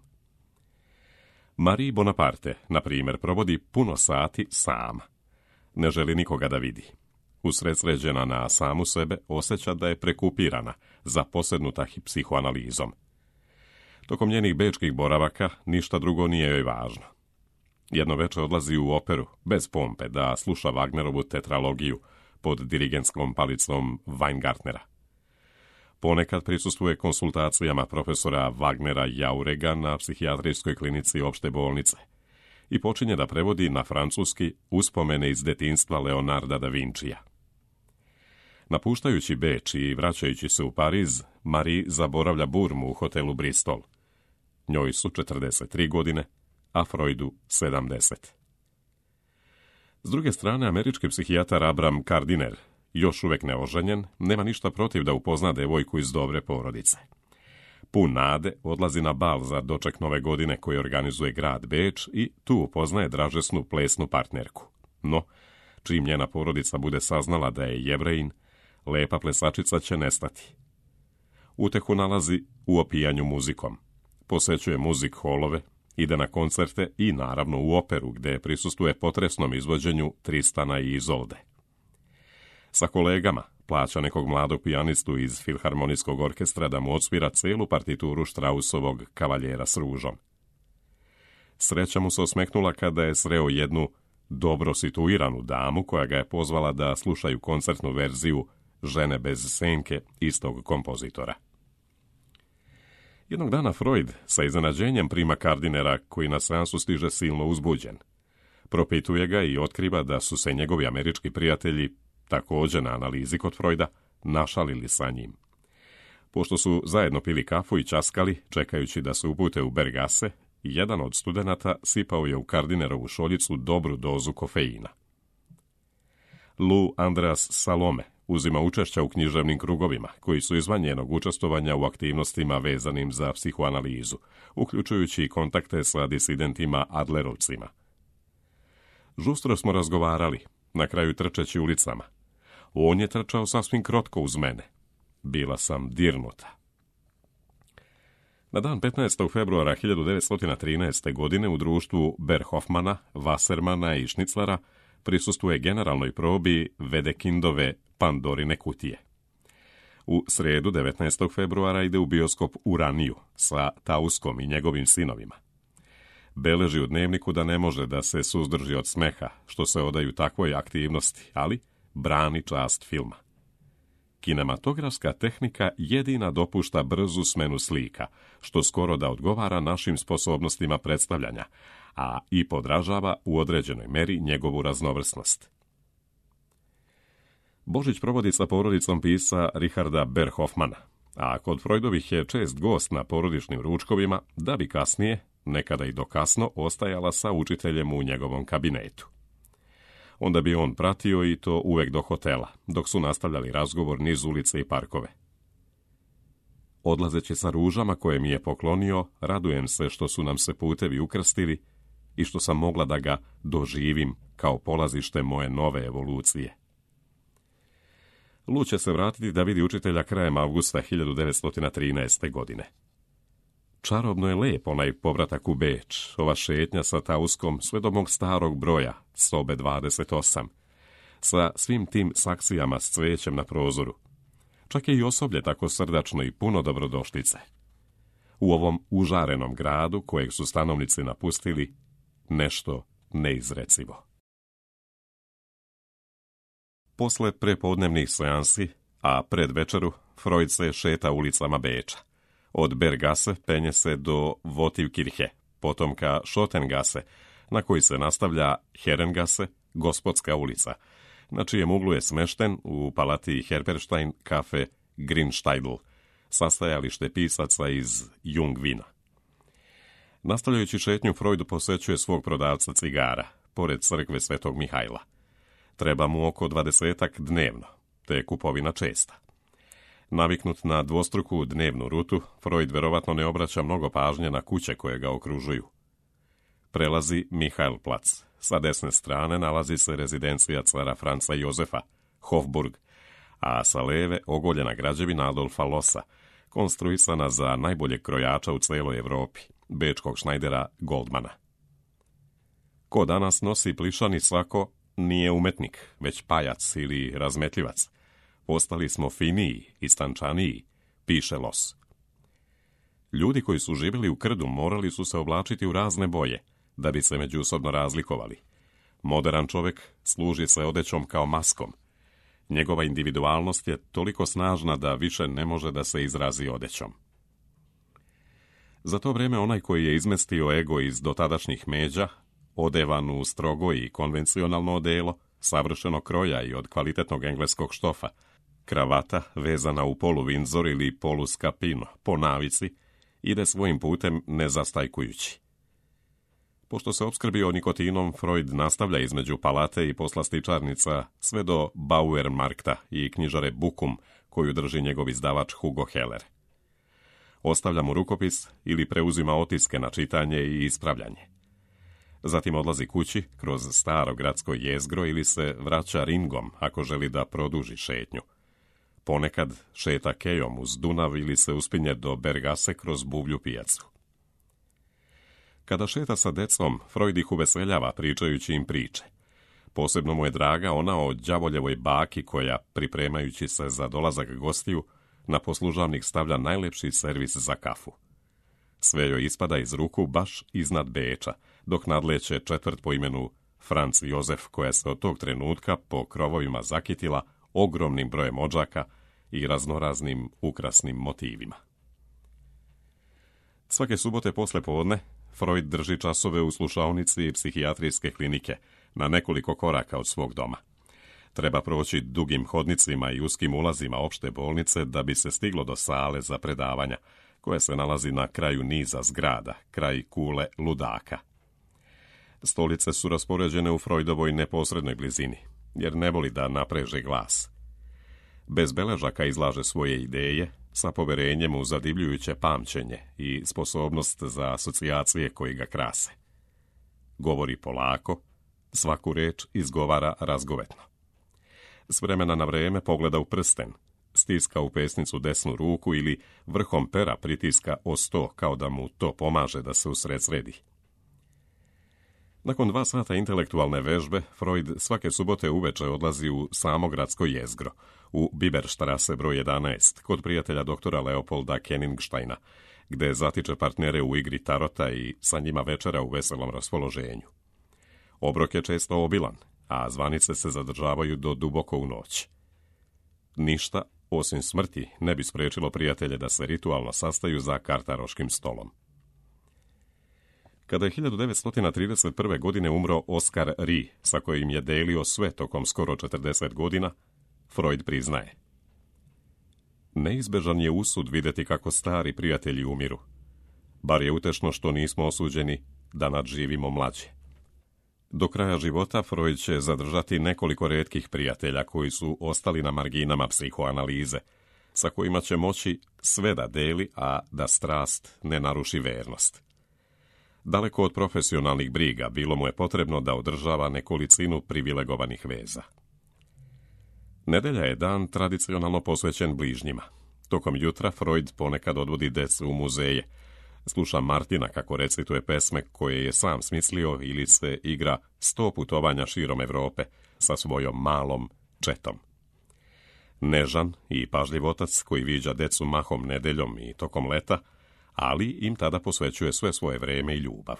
Marie Bonaparte, na primjer, provodi puno sati sama. Ne želi nikoga da vidi. Usredsređena na samu sebe, osjeća da je prekupirana, zaposednuta psihoanalizom. Tokom njenih bečkih boravaka ništa drugo nije joj važno. Jedno večer odlazi u operu, bez pompe, da sluša Wagnerovu tetralogiju pod dirigentskom palicom Weingartnera. Ponekad prisustvuje konsultacijama profesora Wagnera Jaurega na psihijatrijskoj klinici opšte bolnice i počinje da prevodi na francuski uspomene iz detinjstva Leonarda da Vincija. Napuštajući Beč i vraćajući se u Pariz, Marie zaboravlja Burmu u hotelu Bristol. Njoj su 43 godine, a Freudu 70. S druge strane, američki psihijatar Abram Gardiner, još uvek neoženjen, nema ništa protiv da upozna devojku iz dobre porodice. Pun nade odlazi na bal za doček nove godine koji organizuje grad Beč i tu upoznaje dražesnu plesnu partnerku. No, čim njena porodica bude saznala da je Jevrejin, lepa plesačica će nestati. Utehu nalazi u opijanju muzikom. Posećuje muzik holove, ide na koncerte i naravno u operu gde prisustuje potresnom izvođenju Tristana i Izolde. Sa kolegama plaća nekog mladog pijanistu iz Filharmonijskog orkestra da mu odsvira celu partituru Straussovog Kavaljera s ružom. Sreća mu se osmehnula kada je sreo jednu dobro situiranu damu koja ga je pozvala da slušaju koncertnu verziju Žene bez senke istog kompozitora. Jednog dana Freud sa iznenađenjem prima Gardinera koji na seansu stiže silno uzbuđen. Propituje ga i otkriva da su se njegovi američki prijatelji, također na analizi kod Freuda, našalili sa njim. Pošto su zajedno pili kafu i časkali, čekajući da se upute u Bergase, jedan od studenata sipao je u Gardinerovu šoljicu dobru dozu kofeina. Lou Andreas Salome uzima učešća u književnim krugovima, koji su izvan njenog učestvovanja u aktivnostima vezanim za psihoanalizu, uključujući i kontakte sa disidentima Adlerovcima. Žustro smo razgovarali, na kraju trčeći ulicama. On je trčao sasvim krotko uz mene. Bila sam dirnuta. Na dan 15. februara 1913. godine u društvu Berhofmana, Wassermana i Schnitzlera prisustuje generalnoj probi Wedekindove Pandorine kutije. U sredu 19. februara ide u bioskop Uraniju sa Tauskom i njegovim sinovima. Beleži u dnevniku da ne može da se suzdrži od smeha, što se odaju takvoj aktivnosti, ali brani čast filma. Kinematografska tehnika jedina dopušta brzu smenu slika, što skoro da odgovara našim sposobnostima predstavljanja, a i podražava u određenoj meri njegovu raznovrsnost. Božić provodi sa porodicom pisca Richarda Berhofmana, a kod Freudovih je čest gost na porodičnim ručkovima, da bi kasnije, nekada i do kasno, ostajala sa učiteljem u njegovom kabinetu. Onda bi on pratio i to uvek do hotela, dok su nastavljali razgovor niz ulice i parkove. Odlazeći sa ružama koje mi je poklonio, radujem se što su nam se putevi ukrstili i što sam mogla da ga doživim kao polazište moje nove evolucije. Lu će se vratiti da vidi učitelja krajem avgusta 1913. godine. Čarobno je lep onaj povratak u Beč, ova šetnja sa Tauskom sve do mog starog broja, sobe 28, sa svim tim saksijama s cvećem na prozoru. Čak je i osoblje tako srdačno i puno dobrodošlice. U ovom užarenom gradu, kojeg su stanovnici napustili, nešto neizrecivo. Posle prepodnevnih seansi, a pred večeru, Freud se šeta ulicama Beča. Od Bergase penje se do Votivkirche, potom ka Schottengasse, na koji se nastavlja Herrengasse, Gospodska ulica, na čijem uglu je smešten u palati Herberstein kafe Grinsteidl, sastajalište pisaca iz Jungvina. Nastavljajući šetnju, Freud posećuje svog prodavca cigara, pored crkve Svetog Mihajla. Treba mu oko 20 dnevno, te je kupovina česta. Naviknut na dvostruku dnevnu rutu, Freud verovatno ne obraća mnogo pažnje na kuće koje ga okružuju. Prelazi Mihajlplac. Sa desne strane nalazi se rezidencija cara Franca Jozefa, Hofburg, a sa leve ogoljena građevina Adolfa Lossa, konstruisana za najboljeg krojača u celoj Evropi, bečkog šnajdera Goldmana. Ko danas nosi plišani svako nije umetnik, već pajac ili razmetljivac. Postali smo finiji i stančaniji, piše Loss. Ljudi koji su živjeli u krdu morali su se oblačiti u razne boje, da bi se međusobno razlikovali. Modern čovjek služi se odećom kao maskom. Njegova individualnost je toliko snažna da više ne može da se izrazi odećom. Za to vrijeme onaj koji je izmestio ego iz dotadašnjih međa, odevan u strogo i konvencionalno odelo, savršeno kroja i od kvalitetnog engleskog štofa, kravata vezana u polu Windsor ili polu Scapino, po navici, ide svojim putem nezastajkujući. Pošto se opskrbio nikotinom, Freud nastavlja između palate i poslastičarnica sve do Bauermarkta i knjižare Bukum, koju drži njegov izdavač Hugo Heller. Ostavlja mu rukopis ili preuzima otiske na čitanje i ispravljanje. Zatim odlazi kući kroz staro gradsko jezgro ili se vraća ringom ako želi da produži šetnju. Ponekad šeta kejom uz Dunav ili se uspinje do Bergase kroz Buvlju pijacu. Kada šeta sa decom, Freud ih uveseljava pričajući im priče. Posebno mu je draga ona o đavoljevoj baki koja, pripremajući se za dolazak gostiju, na poslužavnik stavlja najlepši servis za kafu. Sve joj ispada iz ruku baš iznad Beča, dok nadleće četvrt po imenu Franc Jozef, koja se od tog trenutka po krovovima zakitila ogromnim brojem odžaka i raznoraznim ukrasnim motivima. Svake subote posle podne Freud drži časove u slušaonici psihijatrijske klinike na nekoliko koraka od svog doma. Treba proći dugim hodnicima i uskim ulazima opšte bolnice da bi se stiglo do sale za predavanja, koja se nalazi na kraju niza zgrada, kraj kule ludaka. Stolice su raspoređene u Freudovoj neposrednoj blizini, jer ne voli da napreže glas. Bez beležaka izlaže svoje ideje, sa poverenjem u zadivljujuće pamćenje i sposobnost za asocijacije koji ga krase. Govori polako, svaku reč izgovara razgovetno. S vremena na vreme pogleda u prsten, stiska u pesnicu desnu ruku ili vrhom pera pritiska o sto kao da mu to pomaže da se usredsredi. Nakon 2 sata intelektualne vežbe, Freud svake subote uveče odlazi u samo gradsko jezgro, u Biberstrasse broj 11, kod prijatelja doktora Leopolda Kenningsteina, gde zatiče partnere u igri tarota i sa njima večera u veselom raspoloženju. Obrok je često obilan, a zvanice se zadržavaju do duboko u noć. Ništa, osim smrti, ne bi sprečilo prijatelje da se ritualno sastaju za kartaroškim stolom. Kada je 1931. godine umro Oskar Rie, sa kojim je delio sve tokom skoro 40 godina, Freud priznaje: neizbežan je usud vidjeti kako stari prijatelji umiru. Bar je utešno što nismo osuđeni da nadživimo mlađe. Do kraja života Freud će zadržati nekoliko retkih prijatelja koji su ostali na marginama psihoanalize, sa kojima će moći sve da deli, a da strast ne naruši vernost. Daleko od profesionalnih briga, bilo mu je potrebno da održava nekolicinu privilegovanih veza. Nedelja je dan tradicionalno posvećen bližnjima. Tokom jutra Freud ponekad odvodi decu u muzeje, sluša Martina kako recituje pesme koje je sam smislio ili se igra 100 putovanja širom Evrope sa svojom malom četom. Nežan i pažljiv otac koji viđa decu mahom nedeljom i tokom leta, ali im tada posvećuje sve svoje vreme i ljubav.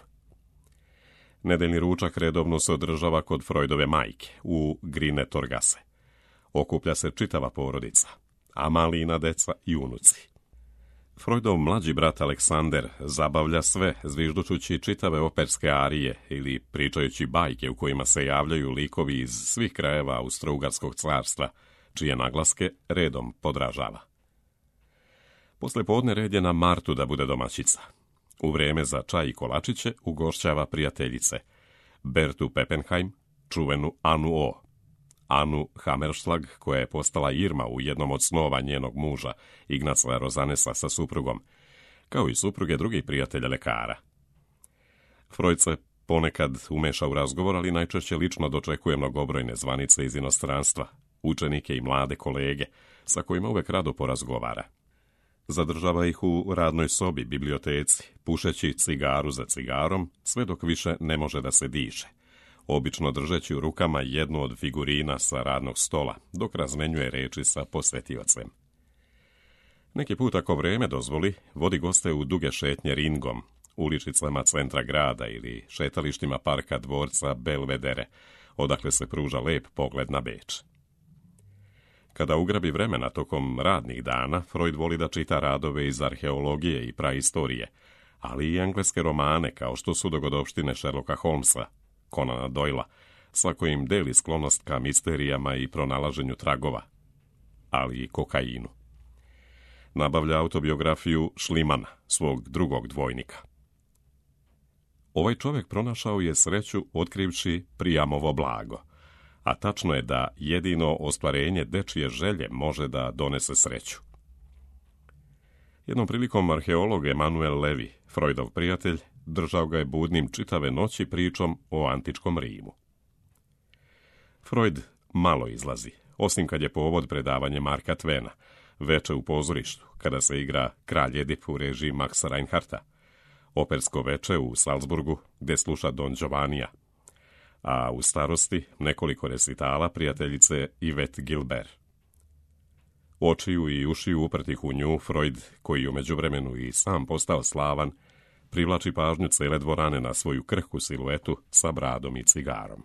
Nedeljni ručak redovno se održava kod Freudove majke u Grine Torgase. Okuplja se čitava porodica, a malina deca i unuci. Freudov mlađi brat Aleksander zabavlja sve zviždučući čitave operske arije ili pričajući bajke u kojima se javljaju likovi iz svih krajeva Austro-Ugarskog carstva, čije naglaske redom podražava. Posle podne red je na Martu da bude domaćica. U vreme za čaj i kolačiće ugošćava prijateljice, Bertu Peppenheim, čuvenu Anu O. Anu Hammerschlag, koja je postala Irma u jednom od snova njenog muža, Ignaca Rozanesa sa suprugom, kao i supruge drugih prijatelja lekara. Freud se ponekad umeša u razgovor, ali najčešće lično dočekuje mnogobrojne zvanice iz inostranstva, učenike i mlade kolege, sa kojima uvek rado porazgovara. Zadržava ih u radnoj sobi, biblioteci, pušeći cigaru za cigarom, sve dok više ne može da se diše, obično držeći u rukama jednu od figurina sa radnog stola, dok razmenjuje reči sa posvetiocem. Neki put, ako vreme dozvoli, vodi goste u duge šetnje ringom, uličicama centra grada ili šetalištima parka dvorca Belvedere, odakle se pruža lep pogled na Beč. Kada ugrabi vremena tokom radnih dana, Freud voli da čita radove iz arheologije i praistorije, ali i engleske romane kao što su Dogodovštine Sherlocka Holmesa, Conana Doylea, sa kojim deli sklonost ka misterijama i pronalaženju tragova, ali i kokainu. Nabavlja autobiografiju Šlimana, svog drugog dvojnika. Ovaj čovjek pronašao je sreću otkrivši Priamovo blago, a tačno je da jedino ostvarenje dečije želje može da donese sreću. Jednom prilikom arheolog Emanuel Levi, Freudov prijatelj, držao ga je budnim čitave noći pričom o antičkom Rimu. Freud malo izlazi, osim kad je povod predavanje Marka Twena, veče u pozorištu, kada se igra Kralj Edip u režiji Maxa Reinhardta, opersko veče u Salzburgu, gde sluša Don Giovannija, a u starosti nekoliko resitala prijateljice Yvette Gilbert. Očiju i ušiju uprtih u nju, Freud, koji u međuvremenu i sam postao slavan, privlači pažnju cele dvorane na svoju krhku siluetu sa bradom i cigarom.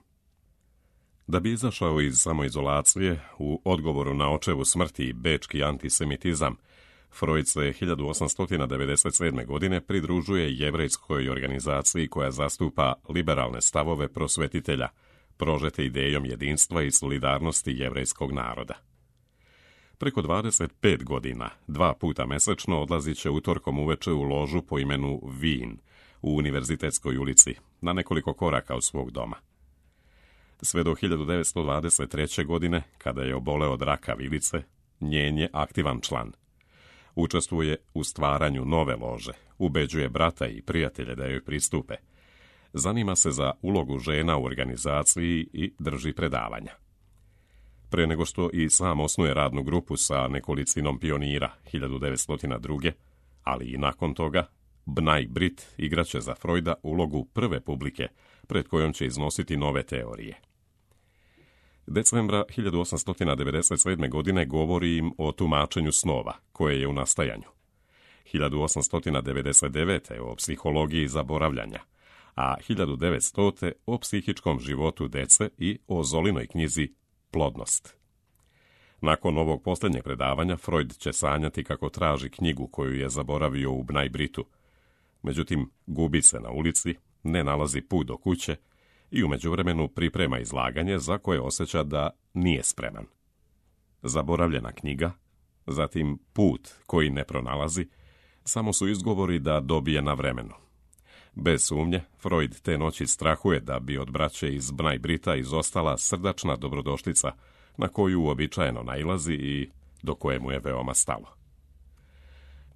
Da bi izašao iz samoizolacije, u odgovoru na očevu smrti i bečki antisemitizam, Freud se 1897. godine pridružuje jevrejskoj organizaciji koja zastupa liberalne stavove prosvetitelja, prožete idejom jedinstva i solidarnosti jevrejskog naroda. Preko 25 godina, 2 puta mesečno odlazit će utorkom uveče u ložu po imenu Wien u Univerzitetskoj ulici, na nekoliko koraka od svog doma. Sve do 1923. godine, kada je oboleo od raka vilice, njen je aktivan član. Učestvuje u stvaranju nove lože, ubeđuje brata i prijatelje da joj pristupe. Zanima se za ulogu žena u organizaciji i drži predavanja. Pre nego što i sam osnuje radnu grupu sa nekolicinom pionira 1902. ali i nakon toga, Bnai Brit igraće za Freuda ulogu prve publike pred kojom će iznositi nove teorije. Decembra 1897. godine govori im o tumačenju snova, koje je u nastajanju. 1899. o psihologiji zaboravljanja, a 1900. o psihičkom životu dece i o Zolinoj knjizi Plodnost. Nakon ovog posljednjeg predavanja, Freud će sanjati kako traži knjigu koju je zaboravio u Bnai Britu. Međutim, gubi se na ulici, ne nalazi put do kuće i u međuvremenu priprema izlaganje za koje osjeća da nije spreman. Zaboravljena knjiga, zatim put koji ne pronalazi, samo su izgovori da dobije na vremenu. Bez sumnje, Freud te noći strahuje da bi od braće iz Bnai Brita izostala srdačna dobrodošlica na koju uobičajeno nailazi i do koje mu je veoma stalo.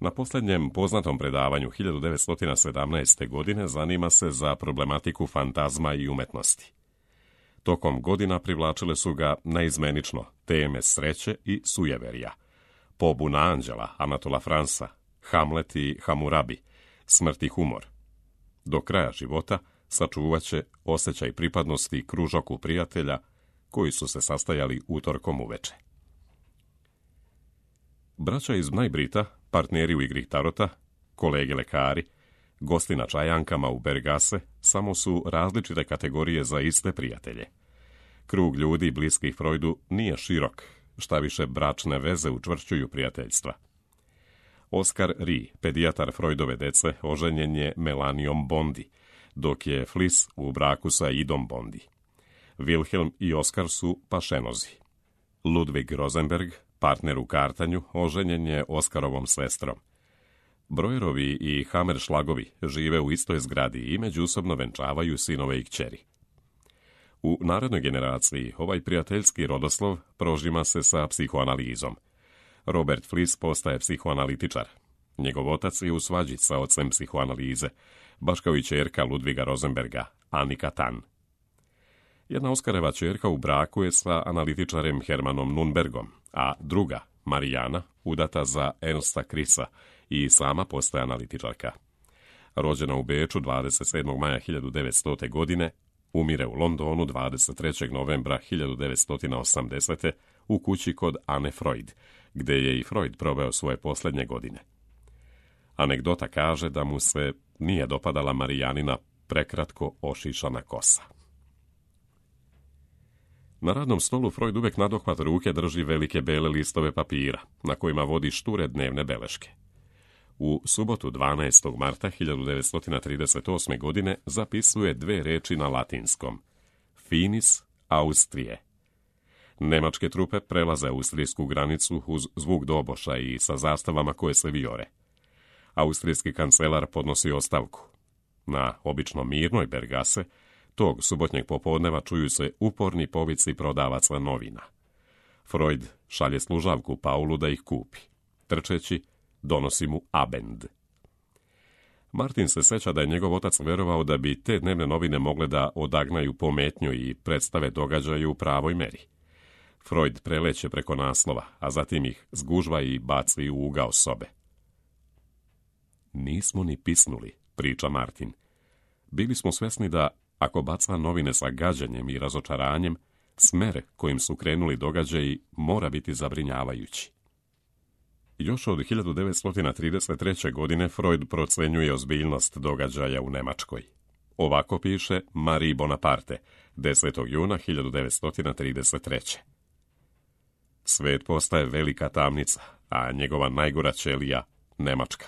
Na posljednjem poznatom predavanju 1917. godine zanima se za problematiku fantazma i umetnosti. Tokom godina privlačile su ga neizmenično teme sreće i sujeverja, Pobuna anđela Anatola Fransa, Hamlet i Hamurabi, smrt i humor. Do kraja života sačuvaće osjećaj pripadnosti kružoku prijatelja koji su se sastajali utorkom uveče. Braća iz Bnai Brita, partneri u igri tarota, kolege lekari, gosti na čajankama u Bergase, samo su različite kategorije za iste prijatelje. Krug ljudi bliskih Freudu nije širok, šta više bračne veze učvršćuju prijateljstva. Oskar Rie, pedijatar Freudove dece, oženjen je Melanijom Bondi, dok je Flis u braku sa Idom Bondi. Wilhelm i Oskar su pašenozi. Ludwig Rosenberg, partner u kartanju, oženjen je Oskarovom sestrom. Breuerovi i Hammerschlagovi žive u istoj zgradi i međusobno venčavaju sinove i kćeri. U narednoj generaciji ovaj prijateljski rodoslov prožima se sa psihoanalizom. Robert Fliss postaje psihoanalitičar. Njegov otac je u svađi sa ocem psihoanalize, baš kao i ćerka Ludviga Rosenberga, Annika Tan. Jedna Oskareva ćerka u braku je sa analitičarem Hermanom Nunbergom, a druga, Marijana, udata za Ernsta Krisa i sama postaje analitičarka. Rođena u Beču 27. maja 1900. godine, umire u Londonu 23. novembra 1980. u kući kod Anne Freud, gdje je i Freud proveo svoje posljednje godine. Anegdota kaže da mu se nije dopadala Marijanina prekratko ošišana kosa. Na radnom stolu Freud uvijek nadohvat ruke drži velike bele listove papira, na kojima vodi šture dnevne beleške. U subotu 12. marta 1938. godine zapisuje 2 reči na latinskom. Finis Austrije. Nemačke trupe prelaze austrijsku granicu uz zvuk doboša i sa zastavama koje se vijore. Austrijski kancelar podnosi ostavku. Na obično mirnoj Bergase tog subotnjeg popodneva čuju se uporni povici prodavaca novina. Freud šalje služavku Paulu da ih kupi. Trčeći, donosi mu Abend. Martin se seća da je njegov otac verovao da bi te dnevne novine mogle da odagnaju pometnju i predstave događaju u pravoj meri. Freud preleće preko naslova, a zatim ih zgužva i baci u ugao sobe. Nismo ni pisnuli, priča Martin. Bili smo svesni da, ako baca novine sa gađanjem i razočaranjem, smer kojim su krenuli događaji mora biti zabrinjavajući. Još od 1933. godine Freud procenjuje ozbiljnost događaja u Nemačkoj. Ovako piše Marie Bonaparte, 10. juna 1933. Svet postaje velika tamnica, a njegova najgora ćelija Nemačka.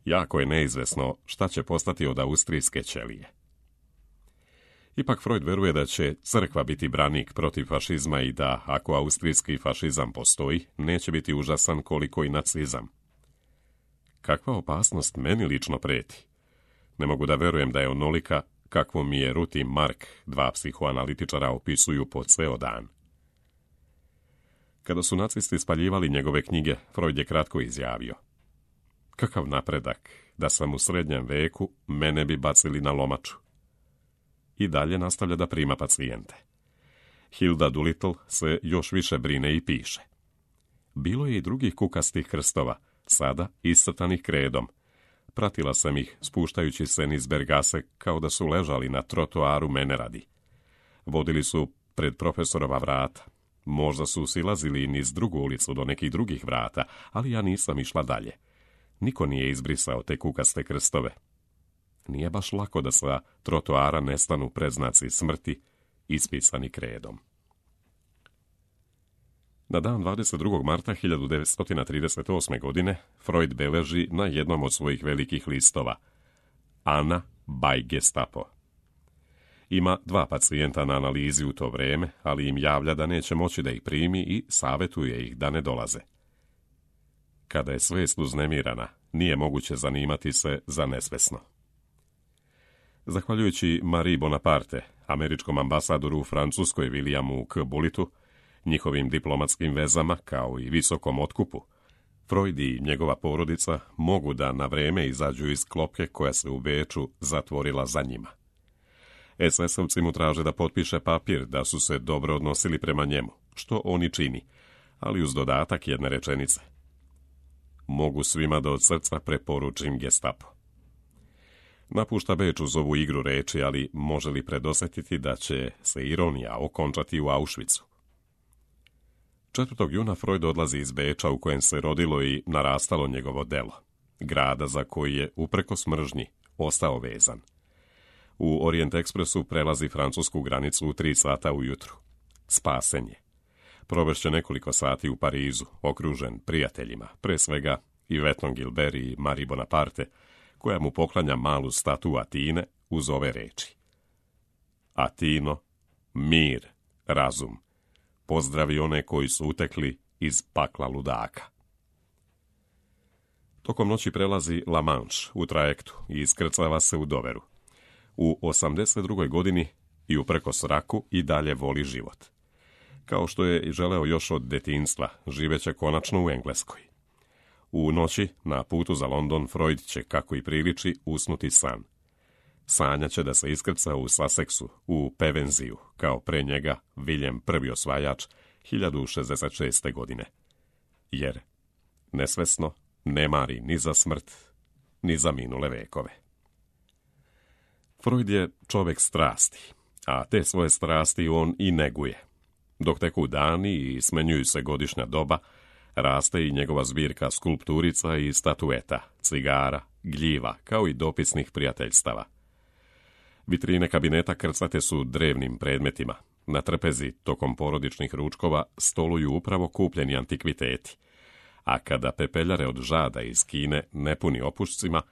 Jako je neizvesno šta će postati od austrijske ćelije. Ipak Freud veruje da će crkva biti branik protiv fašizma i da, ako austrijski fašizam postoji, neće biti užasan koliko i nacizam. Kakva opasnost meni lično preti? Ne mogu da verujem da je onolika kakvo mi je Ruth i Mark, 2 psihoanalitičara, opisuju po ceo dan. Kada su nacisti spaljivali njegove knjige, Freud je kratko izjavio: kakav napredak, da sam u srednjem veku, mene bi bacili na lomaču. I dalje nastavlja da prima pacijente. Hilda Doolittle se još više brine i piše: bilo je i drugih kukastih krstova, sada iscrtanih kredom. Pratila sam ih, spuštajući se niz Bergase, kao da su ležali na trotoaru mene radi. Vodili su pred profesorova vrata. Možda su silazili niz drugu ulicu do nekih drugih vrata, ali ja nisam išla dalje. Niko nije izbrisao te kukaste krstove. Nije baš lako da sa trotoara nestanu predznaci smrti, ispisani kredom. Na dan 22. marta 1938. godine Freud beleži na jednom od svojih velikih listova: Anna by Gestapo. Ima 2 pacijenta na analizi u to vrijeme, ali im javlja da neće moći da ih primi i savjetuje ih da ne dolaze. Kada je svest uznemirana, nije moguće zanimati se za nesvesno. Zahvaljujući Marie Bonaparte, američkom ambasadoru u Francuskoj Williamu K. Bullitu, njihovim diplomatskim vezama kao i visokom otkupu, Freud i njegova porodica mogu da na vrijeme izađu iz klopke koja se u Beču zatvorila za njima. SS-ovci mu traže da potpiše papir da su se dobro odnosili prema njemu, što on i čini, ali uz dodatak jedne rečenice: mogu svima da od srca preporučim Gestapo. Napušta Beč uz ovu igru reči, ali može li predosjetiti da će se ironija okončati u Auschwitzu? 4. juna Freud odlazi iz Beča, u kojem se rodilo i narastalo njegovo delo, grada za koji je, uprkos mržnji, ostao vezan. U Orient Expressu prelazi francusku granicu u 3 sata ujutru. Spasen je. Provešće nekoliko sati u Parizu, okružen prijateljima, pre svega Yvetteom Gilbert i Marie Bonaparte, koja mu poklanja malu statu Atine uz ove reči: Atino, mir, razum, pozdravi one koji su utekli iz pakla ludaka. Tokom noći prelazi La Manche u trajektu i iskrcava se u Doveru. U 82. godini i uprkos raku i dalje voli život. Kao što je želeo još od detinjstva, živeće konačno u Engleskoj. U noći, na putu za London, Freud će, kako i priliči, usnuti san. Sanjaće da se iskrca u Sussexu, u Pevensiju, kao pre njega William I osvajač 1066. godine. Jer nesvesno ne mari ni za smrt, ni za minule vekove. Freud je čovjek strasti, a te svoje strasti on i neguje. Dok teku dani i smenjuju se godišnja doba, raste i njegova zbirka skulpturica i statueta, cigara, gljiva, kao i dopisnih prijateljstava. Vitrine kabineta krcate su drevnim predmetima. Na trpezi, tokom porodičnih ručkova, stoluju upravo kupljeni antikviteti. A kada pepeljare od žada iz Kine ne puni opušcima,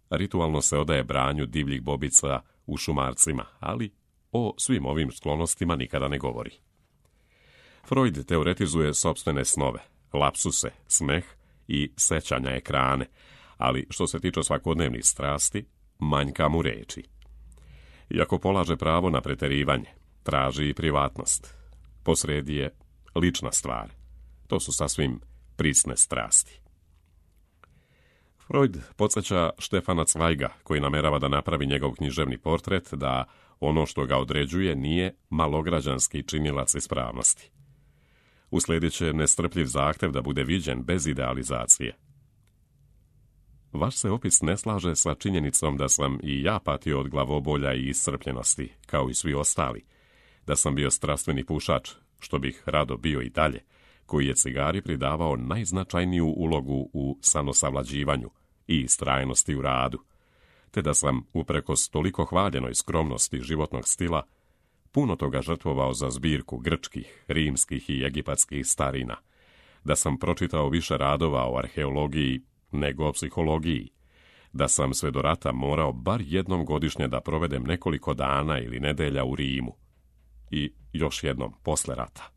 ritualno se odaje branju divljih bobica u šumarcima, ali o svim ovim sklonostima nikada ne govori. Freud teoretizuje sopstvene snove, lapsuse, smeh i sećanja ekrane, ali što se tiče svakodnevnih strasti, manjka mu reči. Iako polaže pravo na preterivanje, traži i privatnost. Posredi je lična stvar. To su sasvim prisne strasti. Freud podsjeća Štefana Cvajga, koji namerava da napravi njegov književni portret, da ono što ga određuje nije malograđanski činilac ispravnosti. Uslijedit će nestrpljiv zahtev da bude viđen bez idealizacije. Vaš se opis ne slaže sa činjenicom da sam i ja patio od glavobolja i iscrpljenosti, kao i svi ostali, da sam bio strastveni pušač, što bih rado bio i dalje, koji je cigari pridavao najznačajniju ulogu u sanosavlađivanju i istrajnosti u radu, te da sam, uprkos toliko hvaljenoj skromnosti životnog stila, puno toga žrtvovao za zbirku grčkih, rimskih i egipatskih starina, da sam pročitao više radova o arheologiji nego o psihologiji, da sam sve do rata morao bar jednom godišnje da provedem nekoliko dana ili nedelja u Rimu i još jednom posle rata.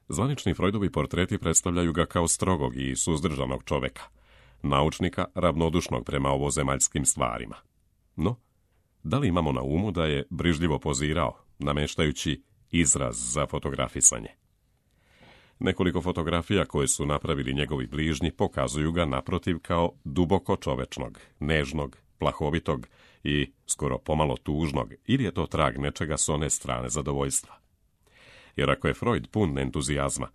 Zvanični Freudovi portreti predstavljaju ga kao strogog i suzdržanog čoveka, naučnika ravnodušnog prema ovozemaljskim stvarima. No, da li imamo na umu da je brižljivo pozirao, nameštajući izraz za fotografisanje? Nekoliko fotografija koje su napravili njegovi bližnji pokazuju ga naprotiv kao duboko čovečnog, nežnog, plahovitog i skoro pomalo tužnog, ili je to trag nečega s one strane zadovoljstva. Jer ako je Freud pun entuzijazma,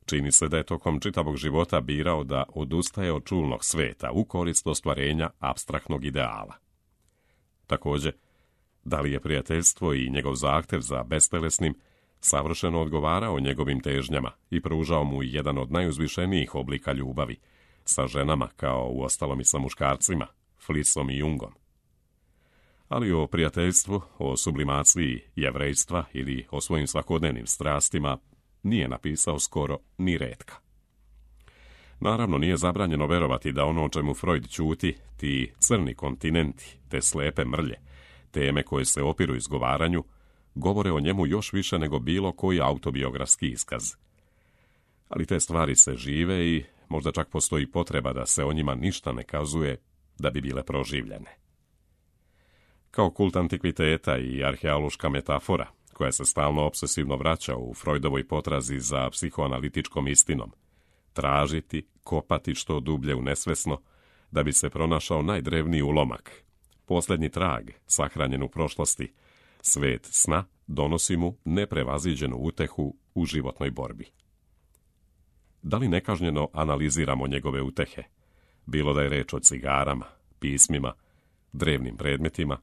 čini se da je tokom čitavog života birao da odustaje od čulnog sveta u korist ostvarenja apstraktnog ideala. Također, da li je prijateljstvo i njegov zahtev za bestelesnim savršeno odgovarao njegovim težnjama i pružao mu jedan od najuzvišenijih oblika ljubavi, sa ženama kao uostalom i sa muškarcima, Flisom i Jungom. Ali o prijateljstvu, o sublimaciji jevrejstva ili o svojim svakodnevnim strastima nije napisao skoro ni retka. Naravno, nije zabranjeno verovati da ono o čemu Freud ćuti, ti crni kontinenti, te slepe mrlje, teme koje se opiru izgovaranju, govore o njemu još više nego bilo koji autobiografski iskaz. Ali te stvari se žive i možda čak postoji potreba da se o njima ništa ne kazuje da bi bile proživljene. Kao kult antikviteta i arheološka metafora, koja se stalno obsesivno vraća u Freudovoj potrazi za psihoanalitičkom istinom, tražiti, kopati što dublje u nesvesno, da bi se pronašao najdrevniji ulomak, posljednji trag, sahranjen u prošlosti, svet sna donosi mu neprevaziđenu utehu u životnoj borbi. Da li nekažnjeno analiziramo njegove utehe, bilo da je reč o cigarama, pismima, drevnim predmetima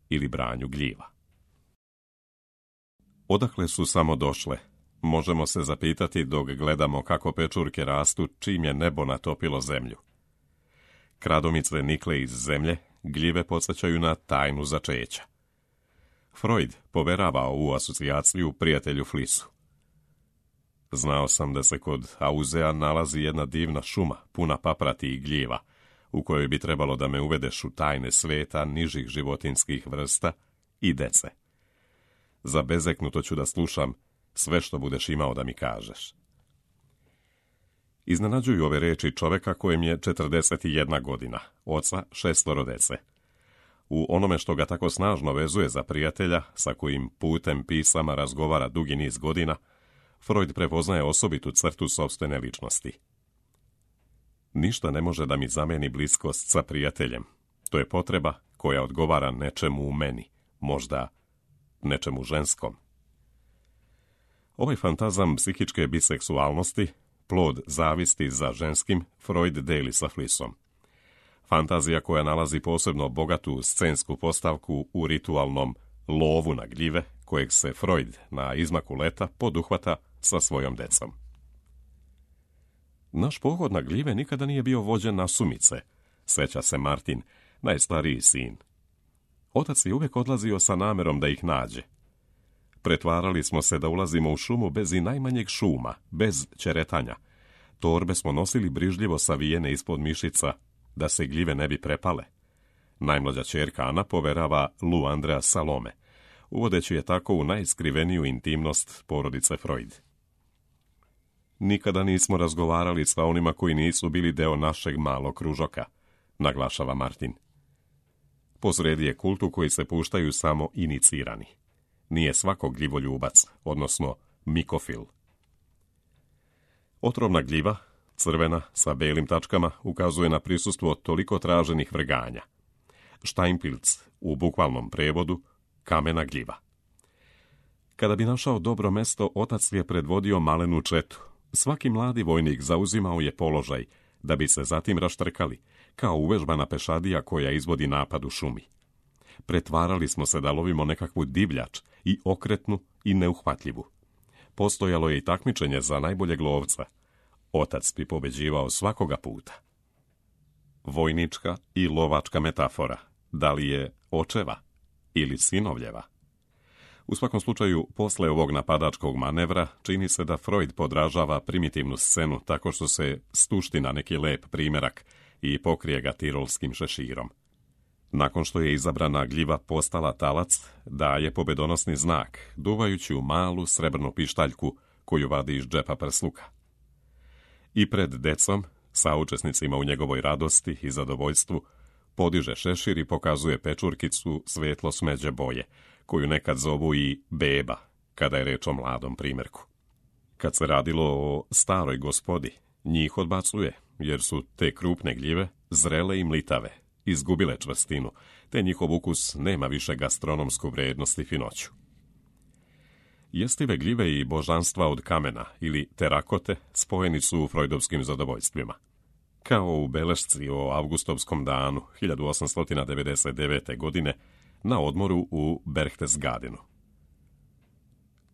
ili branju gljiva? Odakle su samo došle? Možemo se zapitati dok gledamo kako pečurke rastu čim je nebo natopilo zemlju. Kradomice nikle iz zemlje, gljive podsjećaju na tajnu začeća. Freud poverava ovu asocijaciju prijatelju Flisu. Znao sam da se kod Auzea nalazi jedna divna šuma, puna paprati i gljiva, u kojoj bi trebalo da me uvedeš u tajne sveta nižih životinskih vrsta i dece. Zabezeknuto ću da slušam sve što budeš imao da mi kažeš. Iznenađuju ove reči čoveka kojem je 41 godina, oca 6 dece. U onome što ga tako snažno vezuje za prijatelja, sa kojim putem pisama razgovara dugi niz godina, Freud prepoznaje osobitu crtu sopstvene ličnosti. Ništa ne može da mi zameni bliskost sa prijateljem. To je potreba koja odgovara nečemu u meni, možda nečemu ženskom. Ovaj fantazam psihičke biseksualnosti, plod zavisti za ženskim, Freud deli sa Flissom. Fantazija koja nalazi posebno bogatu scensku postavku u ritualnom lovu na gljive, kojeg se Freud na izmaku leta poduhvata sa svojom decom. Naš pohod na gljive nikada nije bio vođen na sumice, seća se Martin, najstariji sin. Otac je uvijek odlazio sa namerom da ih nađe. Pretvarali smo se da ulazimo u šumu bez i najmanjeg šuma, bez ćeretanja. Torbe smo nosili brižljivo savijene ispod mišica, da se gljive ne bi prepale. Najmlađa ćerka Ana poverava Lu Andrea Salome, uvodeći je tako u najskriveniju intimnost porodice Freud. Nikada nismo razgovarali sa onima koji nisu bili deo našeg malog kružoka, naglašava Martin. Posredi je kult u koji se puštaju samo inicirani. Nije svako gljivoljubac, odnosno mikofil. Otrovna gljiva, crvena, sa belim tačkama, ukazuje na prisustvo toliko traženih vrganja. Steinpilz, u bukvalnom prevodu, kamena gljiva. Kada bi našao dobro mesto, otac je predvodio malenu četu. Svaki mladi vojnik zauzimao je položaj, da bi se zatim raštrkali, kao uvežbana pešadija koja izvodi napad u šumi. Pretvarali smo se da lovimo nekakvu divljač, i okretnu i neuhvatljivu. Postojalo je i takmičenje za najboljeg lovca. Otac bi pobeđivao svakoga puta. Vojnička i lovačka metafora. Da li je očeva ili sinovljeva? U svakom slučaju, posle ovog napadačkog manevra, čini se da Freud podražava primitivnu scenu tako što se stušti na neki lep primjerak i pokrije ga tirolskim šeširom. Nakon što je izabrana gljiva postala talac, daje pobedonosni znak, duvajući u malu srebrnu pištaljku koju vadi iz džepa prsluka. I pred decom, saučesnicima u njegovoj radosti i zadovoljstvu, podiže šešir i pokazuje pečurkicu svetlo smeđe boje, koju nekad zovu i beba, kada je reč o mladom primjerku. Kad se radilo o staroj gospodi, njih odbacuje, jer su te krupne gljive zrele i mlitave, izgubile čvrstinu, te njihov ukus nema više gastronomsku vrijednost i finoću. Jestive gljive i božanstva od kamena ili terakote spojeni su u freudovskim zadovoljstvima. Kao u belešci o avgustovskom danu 1899. godine na odmoru u Berchtesgadenu.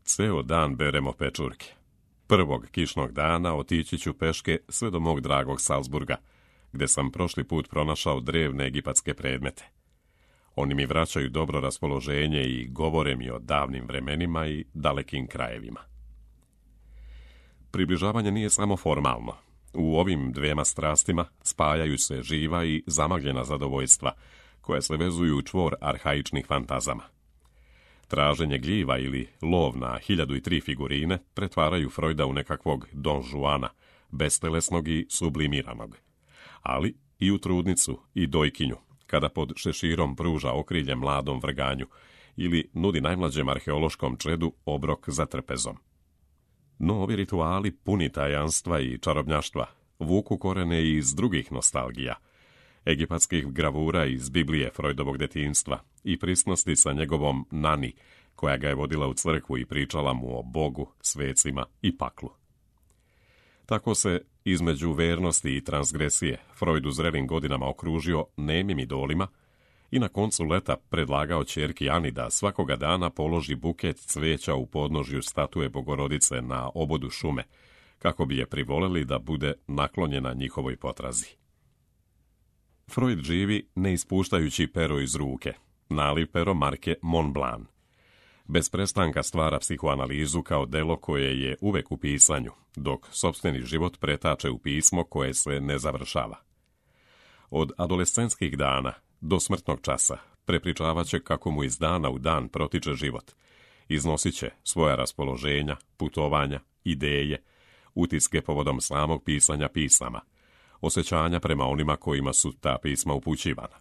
Ceo dan beremo pečurke. Prvog kišnog dana otići ću peške sve do mog dragog Salzburga, gde sam prošli put pronašao drevne egipatske predmete. Oni mi vraćaju dobro raspoloženje i govore mi o davnim vremenima i dalekim krajevima. Približavanje nije samo formalno. U ovim dvema strastima spajaju se živa i zamagljena zadovoljstva, koja se vezuju u čvor arhaičnih fantazama. Traženje gljiva ili lov na 1003 figurine pretvaraju Freuda u nekakvog Don Juana, bestelesnog i sublimiranog. Ali i u trudnicu i dojkinju, kada pod šeširom pruža okrilje mladom vrganju ili nudi najmlađem arheološkom čedu obrok za trpezom. No ovi rituali puni tajanstva i čarobnjaštva vuku korene i iz drugih nostalgija, egipatskih gravura iz Biblije Freudovog detinjstva i prisnosti sa njegovom nani, koja ga je vodila u crkvu i pričala mu o Bogu, svecima i paklu. Tako se, između vernosti i transgresije, Freud u zrelim godinama okružio nemim idolima i na koncu leta predlagao ćerki Ani da svakoga dana položi buket cveća u podnožju statue Bogorodice na obodu šume, kako bi je privoleli da bude naklonjena njihovoj potrazi. Freud živi ne ispuštajući pero iz ruke, naliv pero marke Mont Blanc. Bez prestanka stvara psihoanalizu kao delo koje je uvek u pisanju, dok sopstveni život pretače u pismo koje se ne završava. Od adolescentskih dana do smrtnog časa prepričavaće kako mu iz dana u dan protiče život. Iznosit će svoja raspoloženja, putovanja, ideje, utiske povodom samog pisanja pisama, osjećanja prema onima kojima su ta pisma upućivana.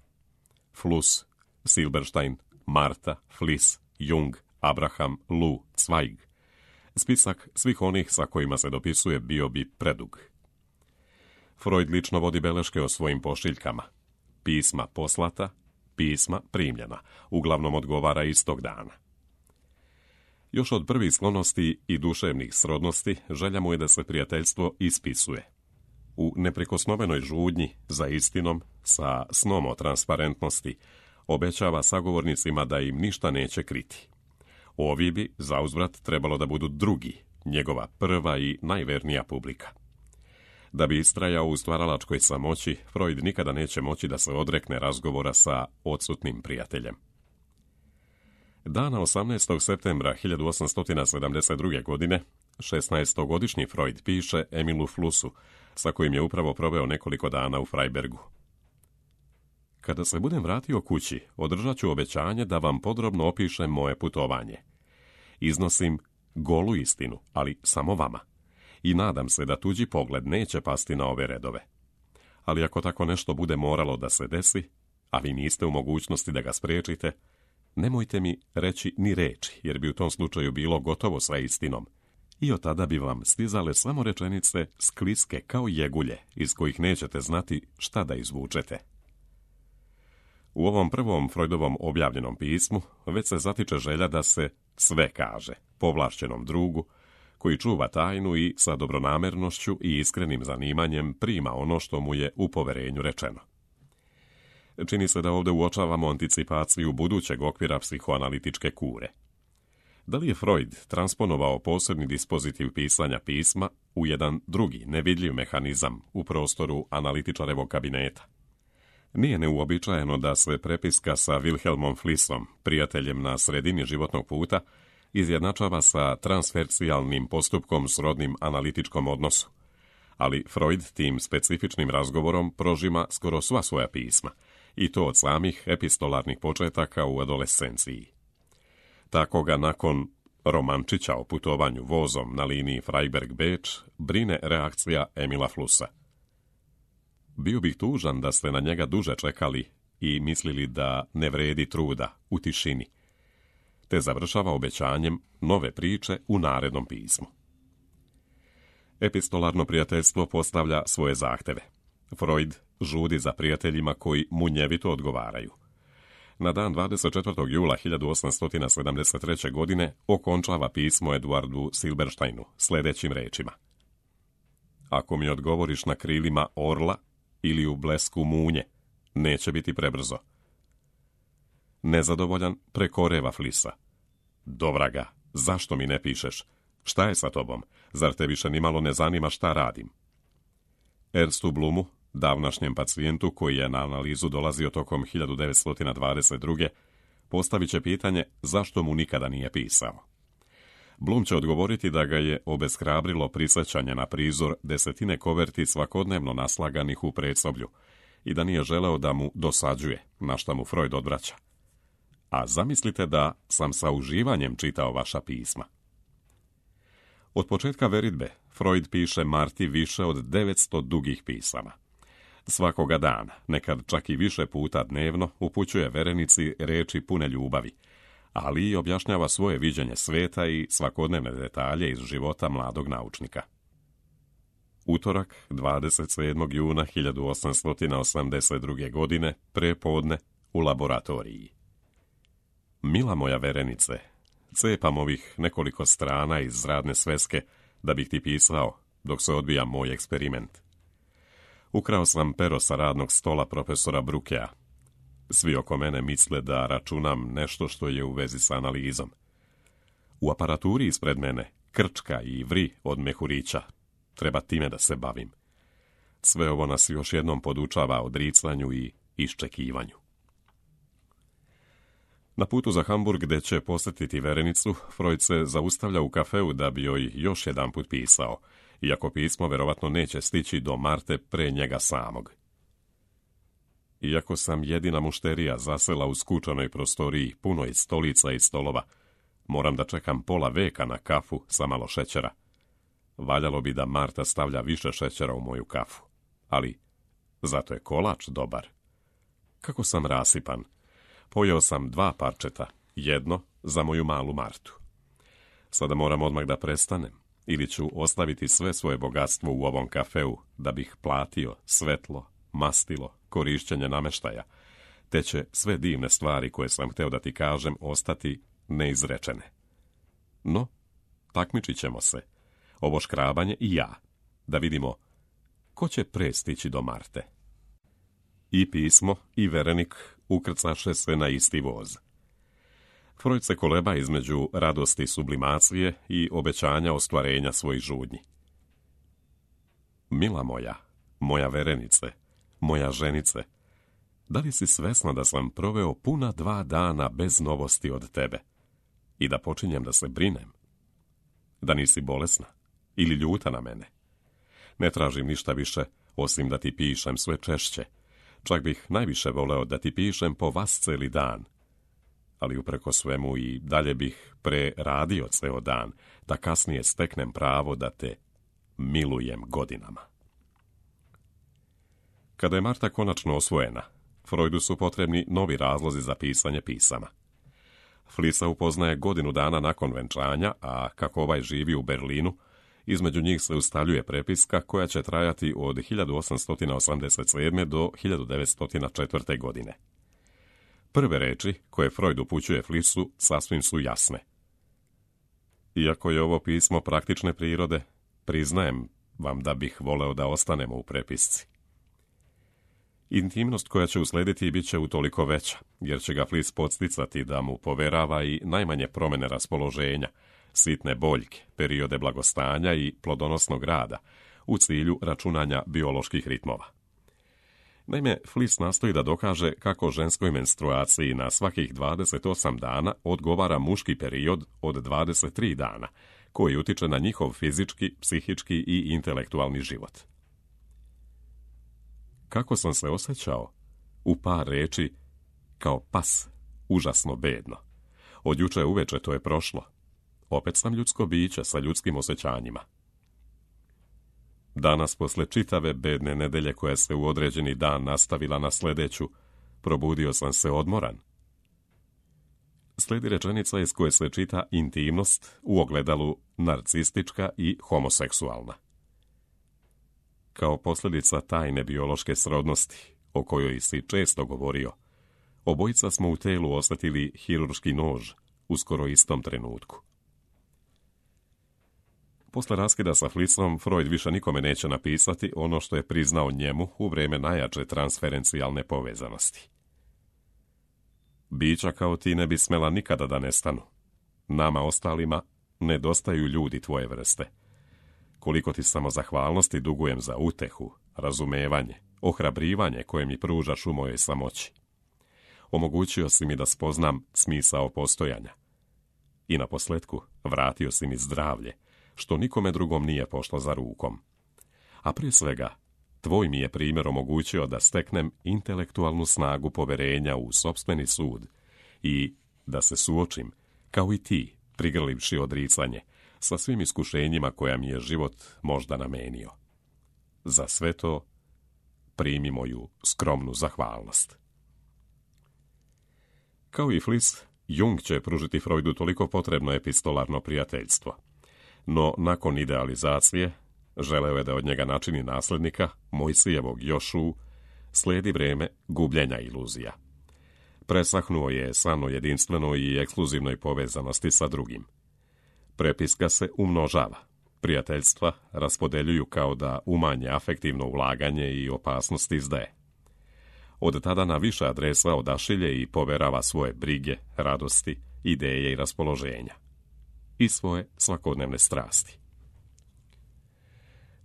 Fluss, Silberstein, Marta, Fliss, Jung, Abraham, Lu, Zweig. Spisak svih onih sa kojima se dopisuje bio bi predug. Freud lično vodi beleške o svojim pošiljkama. Pisma poslata, pisma primljena, uglavnom odgovara istog dana. Još od prvih sklonosti i duševnih srodnosti želja mu je da se prijateljstvo ispisuje. U neprikosnovenoj žudnji za istinom, sa snom o transparentnosti, obećava sagovornicima da im ništa neće kriti. Ovi bi, zauzvrat, trebalo da budu drugi, njegova prva i najvernija publika. Da bi istrajao u stvaralačkoj samoći, Freud nikada neće moći da se odrekne razgovora sa odsutnim prijateljem. Dana 18. septembra 1872. godine, 16-godišnji Freud piše Emilu Flussu, sa kojim je upravo proveo nekoliko dana u Freibergu. Kada se budem vratio kući, održat ću obećanje da vam podrobno opišem moje putovanje. Iznosim golu istinu, ali samo vama. I nadam se da tuđi pogled neće pasti na ove redove. Ali ako tako nešto bude moralo da se desi, a vi niste u mogućnosti da ga spriječite, nemojte mi reći ni reči, jer bi u tom slučaju bilo gotovo sa istinom. I od tada bi vam stizale samo rečenice skliske kao jegulje, iz kojih nećete znati šta da izvučete. U ovom prvom Freudovom objavljenom pismu već se zatiče želja da se sve kaže povlašćenom drugu, koji čuva tajnu i sa dobronamernošću i iskrenim zanimanjem prima ono što mu je u poverenju rečeno. Čini se da ovdje uočavamo anticipaciju budućeg okvira psihoanalitičke kure. Da li je Freud transponovao posebni dispozitiv pisanja pisma u jedan drugi, nevidljiv mehanizam u prostoru analitičarevog kabineta? Nije neuobičajeno da se prepiska sa Wilhelmom Flissom, prijateljem na sredini životnog puta, izjednačava sa transfercijalnim postupkom srodnim analitičkom odnosu. Ali Freud tim specifičnim razgovorom prožima skoro sva svoja pisma, i to od samih epistolarnih početaka u adolescenciji. Tako ga nakon romančića o putovanju vozom na liniji Freiberg-Beč brine reakcija Emila Flussa. Bio bih tužan da ste na njega duže čekali i mislili da ne vredi truda u tišini, te završava obećanjem nove priče u narednom pismu. Epistolarno prijateljstvo postavlja svoje zahteve. Freud žudi za prijateljima koji munjevito odgovaraju. Na dan 24. jula 1873. godine okončava pismo Eduardu Silbersteinu sljedećim rečima. Ako mi odgovoriš na krilima orla ili u blesku munje, neće biti prebrzo. Nezadovoljan prekoreva Flissa. Dovraga, zašto mi ne pišeš? Šta je sa tobom? Zar te više nimalo ne zanima šta radim? Ernstu Blumu, davnašnjem pacijentu koji je na analizu dolazio tokom 1922. postavit će pitanje zašto mu nikada nije pisao. Blum će odgovoriti da ga je obeshrabrilo prisjećanje na prizor desetine koverti svakodnevno naslaganih u predsoblju i da nije želeo da mu dosađuje, na šta mu Freud odvraća. A zamislite da sam sa uživanjem čitao vaša pisma. Od početka veritbe Freud piše Marti više od 900 dugih pisama. Svakoga dana, nekad čak i više puta dnevno, upućuje verenici reči pune ljubavi, ali i objašnjava svoje viđenje sveta i svakodnevne detalje iz života mladog naučnika. Utorak, 27. juna 1882. godine, prepodne, u laboratoriji. Mila moja verenice, cepam ovih nekoliko strana iz radne sveske da bih ti pisao dok se odvija moj eksperiment. Ukrao sam pero sa radnog stola profesora Brukea. Svi oko mene misle da računam nešto što je u vezi sa analizom. U aparaturi ispred mene krčka i vri od mehurića. Treba time da se bavim. Sve ovo nas još jednom podučava odricanju i iščekivanju. Na putu za Hamburg, gde će posjetiti verenicu, Freud se zaustavlja u kafeu da bi joj još jedanput pisao, iako pismo verovatno neće stići do Marte pre njega samog. Iako sam jedina mušterija zasela u skučanoj prostoriji punoj stolica i stolova, moram da čekam pola veka na kafu sa malo šećera. Valjalo bi da Marta stavlja više šećera u moju kafu, ali zato je kolač dobar. Kako sam rasipan. Pojeo sam 2 parčeta, jedno za moju malu Martu. Sada moram odmah da prestanem, ili ću ostaviti sve svoje bogatstvo u ovom kafeu, da bih platio svetlo, mastilo, korišćenje nameštaja, te će sve divne stvari koje sam hteo da ti kažem ostati neizrečene. No, takmičit ćemo se, ovo škrabanje i ja, da vidimo ko će pre stići do Marte. I pismo i verenik ukrcaše se na isti voz. Freud se koleba između radosti sublimacije i obećanja ostvarenja svojih žudnji. Mila moja, moja verenice, moja ženice, da li si svesna da sam proveo puna 2 dana bez novosti od tebe i da počinjem da se brinem? Da nisi bolesna ili ljuta na mene? Ne tražim ništa više, osim da ti pišem sve češće. Čak bih najviše voleo da ti pišem po vas celi dan. Ali upreko svemu i dalje bih preradio ceo dan, da kasnije steknem pravo da te milujem godinama. Kada je Marta konačno osvojena, Freudu su potrebni novi razlozi za pisanje pisama. Flisa upoznaje 1 godinu dana nakon venčanja, a kako ovaj živi u Berlinu, između njih se ustaljuje prepiska koja će trajati od 1887. do 1904. godine. Prve reči koje Freud upućuje Flisu sasvim su jasne. Iako je ovo pismo praktične prirode, priznajem vam da bih voleo da ostanemo u prepisci. Intimnost koja će uslediti bit će utoliko veća, jer će ga Flis podsticati da mu poverava i najmanje promjene raspoloženja, sitne boljke, periode blagostanja i plodonosnog rada, u cilju računanja bioloških ritmova. Naime, Flis nastoji da dokaže kako ženskoj menstruaciji na svakih 28 dana odgovara muški period od 23 dana, koji utiče na njihov fizički, psihički i intelektualni život. Kako sam se osjećao? U par reči, kao pas, užasno bedno. Od juče uveče to je prošlo. Opet sam ljudsko biće sa ljudskim osjećanjima. Danas, posle čitave bedne nedelje koja se u određeni dan nastavila na sljedeću, probudio sam se odmoran. Slijedi rečenica iz koje se čita intimnost u ogledalu narcistička i homoseksualna. Kao posljedica tajne biološke srodnosti, o kojoj si često govorio, obojica smo u telu osjetili hirurški nož u skoro istom trenutku. Posle raskida sa Flisom, Freud više nikome neće napisati ono što je priznao njemu u vrijeme najjače transferencijalne povezanosti. Bića kao ti ne bi smela nikada da nestanu. Nama ostalima nedostaju ljudi tvoje vrste. Koliko ti samozahvalnosti dugujem za utehu, razumevanje, ohrabrivanje koje mi pružaš u mojoj samoći. Omogućio si mi da spoznam smisao postojanja. I na posljetku vratio si mi zdravlje, što nikome drugom nije pošlo za rukom. A prije svega, tvoj mi je primjer omogućio da steknem intelektualnu snagu poverenja u sopstveni sud i da se suočim, kao i ti, prigrlivši odricanje, sa svim iskušenjima koja mi je život možda namenio. Za sve to primi moju skromnu zahvalnost. Kao i Flis, Jung će pružiti Freudu toliko potrebno epistolarno prijateljstvo. No, nakon idealizacije, želeo je da od njega načini nasljednika, Mojsijevog Jošu, slijedi vrijeme gubljenja iluzija. Presahnuo je san o jedinstvenoj i ekskluzivnoj povezanosti sa drugim. Prepiska se umnožava. Prijateljstva raspodeljuju kao da umanje afektivno ulaganje i opasnost izdaje. Od tada na više adresa odašilje i poverava svoje brige, radosti, ideje i raspoloženja. I svoje svakodnevne strasti.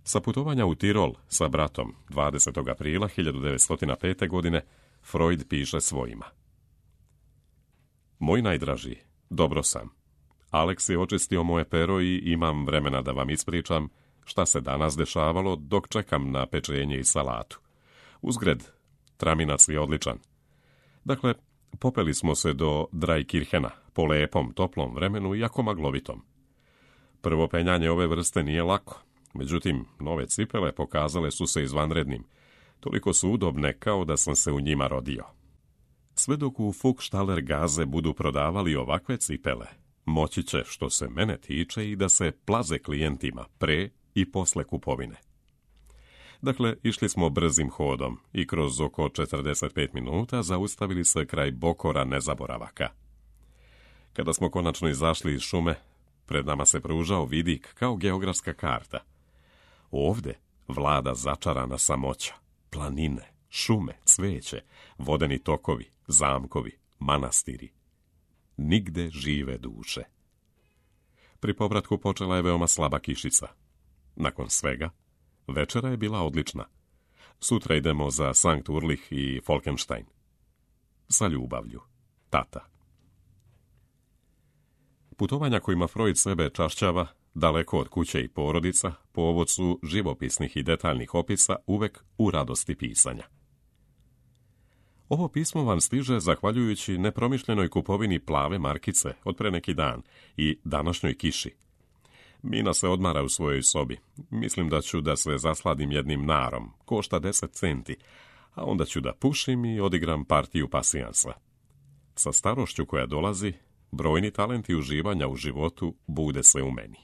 Sa putovanja u Tirol sa bratom 20. aprila 1905. godine Freud piše svojima. Moj najdraži, dobro sam. Alex je očistio moje pero i imam vremena da vam ispričam šta se danas dešavalo dok čekam na pečenje i salatu. Uzgred, traminac je odličan. Dakle, popeli smo se do Drajkirhena po lepom, toplom vremenu i jako maglovitom. Prvo penjanje ove vrste nije lako, međutim, nove cipele pokazale su se izvanrednim. Toliko su udobne kao da sam se u njima rodio. Sve dok u Fuchstaller Gaze budu prodavali ovakve cipele, moći će, što se mene tiče, i da se plaze klijentima pre i posle kupovine. Dakle, išli smo brzim hodom i kroz oko 45 minuta zaustavili se kraj Bokora nezaboravaka. Kada smo konačno izašli iz šume, pred nama se pružao vidik kao geografska karta. Ovde vlada začarana samoća, planine, šume, cveće, vodeni tokovi, zamkovi, manastiri. Nigde žive duše. Pri povratku počela je veoma slaba kišica. Nakon svega, večera je bila odlična. Sutra idemo za Sankt Urlich i Falkenstein. Sa ljubavlju, tata. Putovanja kojima Freud sebe čašćava, daleko od kuće i porodica, povod su živopisnih i detaljnih opisa uvek u radosti pisanja. Ovo pismo vam stiže zahvaljujući nepromišljenoj kupovini plave markice od pre neki dan i današnjoj kiši. Mina se odmara u svojoj sobi. Mislim da ću da se zasladim jednim narom, košta 10 centi, a onda ću da pušim i odigram partiju pasijansa. Sa starošću koja dolazi, brojni talenti uživanja u životu bude se u meni.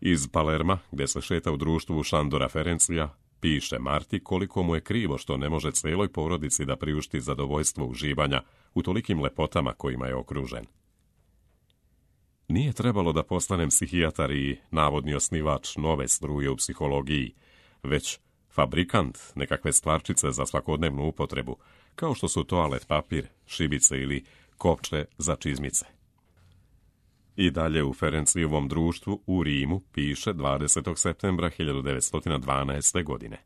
Iz Palerma, gde se šeta u društvu Šandora Ferencija, piše Marti koliko mu je krivo što ne može celoj porodici da priušti zadovoljstvo uživanja u tolikim lepotama kojima je okružen. Nije trebalo da postanem psihijatar i navodni osnivač nove struje u psihologiji, već fabrikant nekakve stvarčice za svakodnevnu upotrebu, kao što su toalet papir, šibice ili kopče za čizmice. I dalje u Ferencijevom društvu u Rimu piše 20. septembra 1912. godine.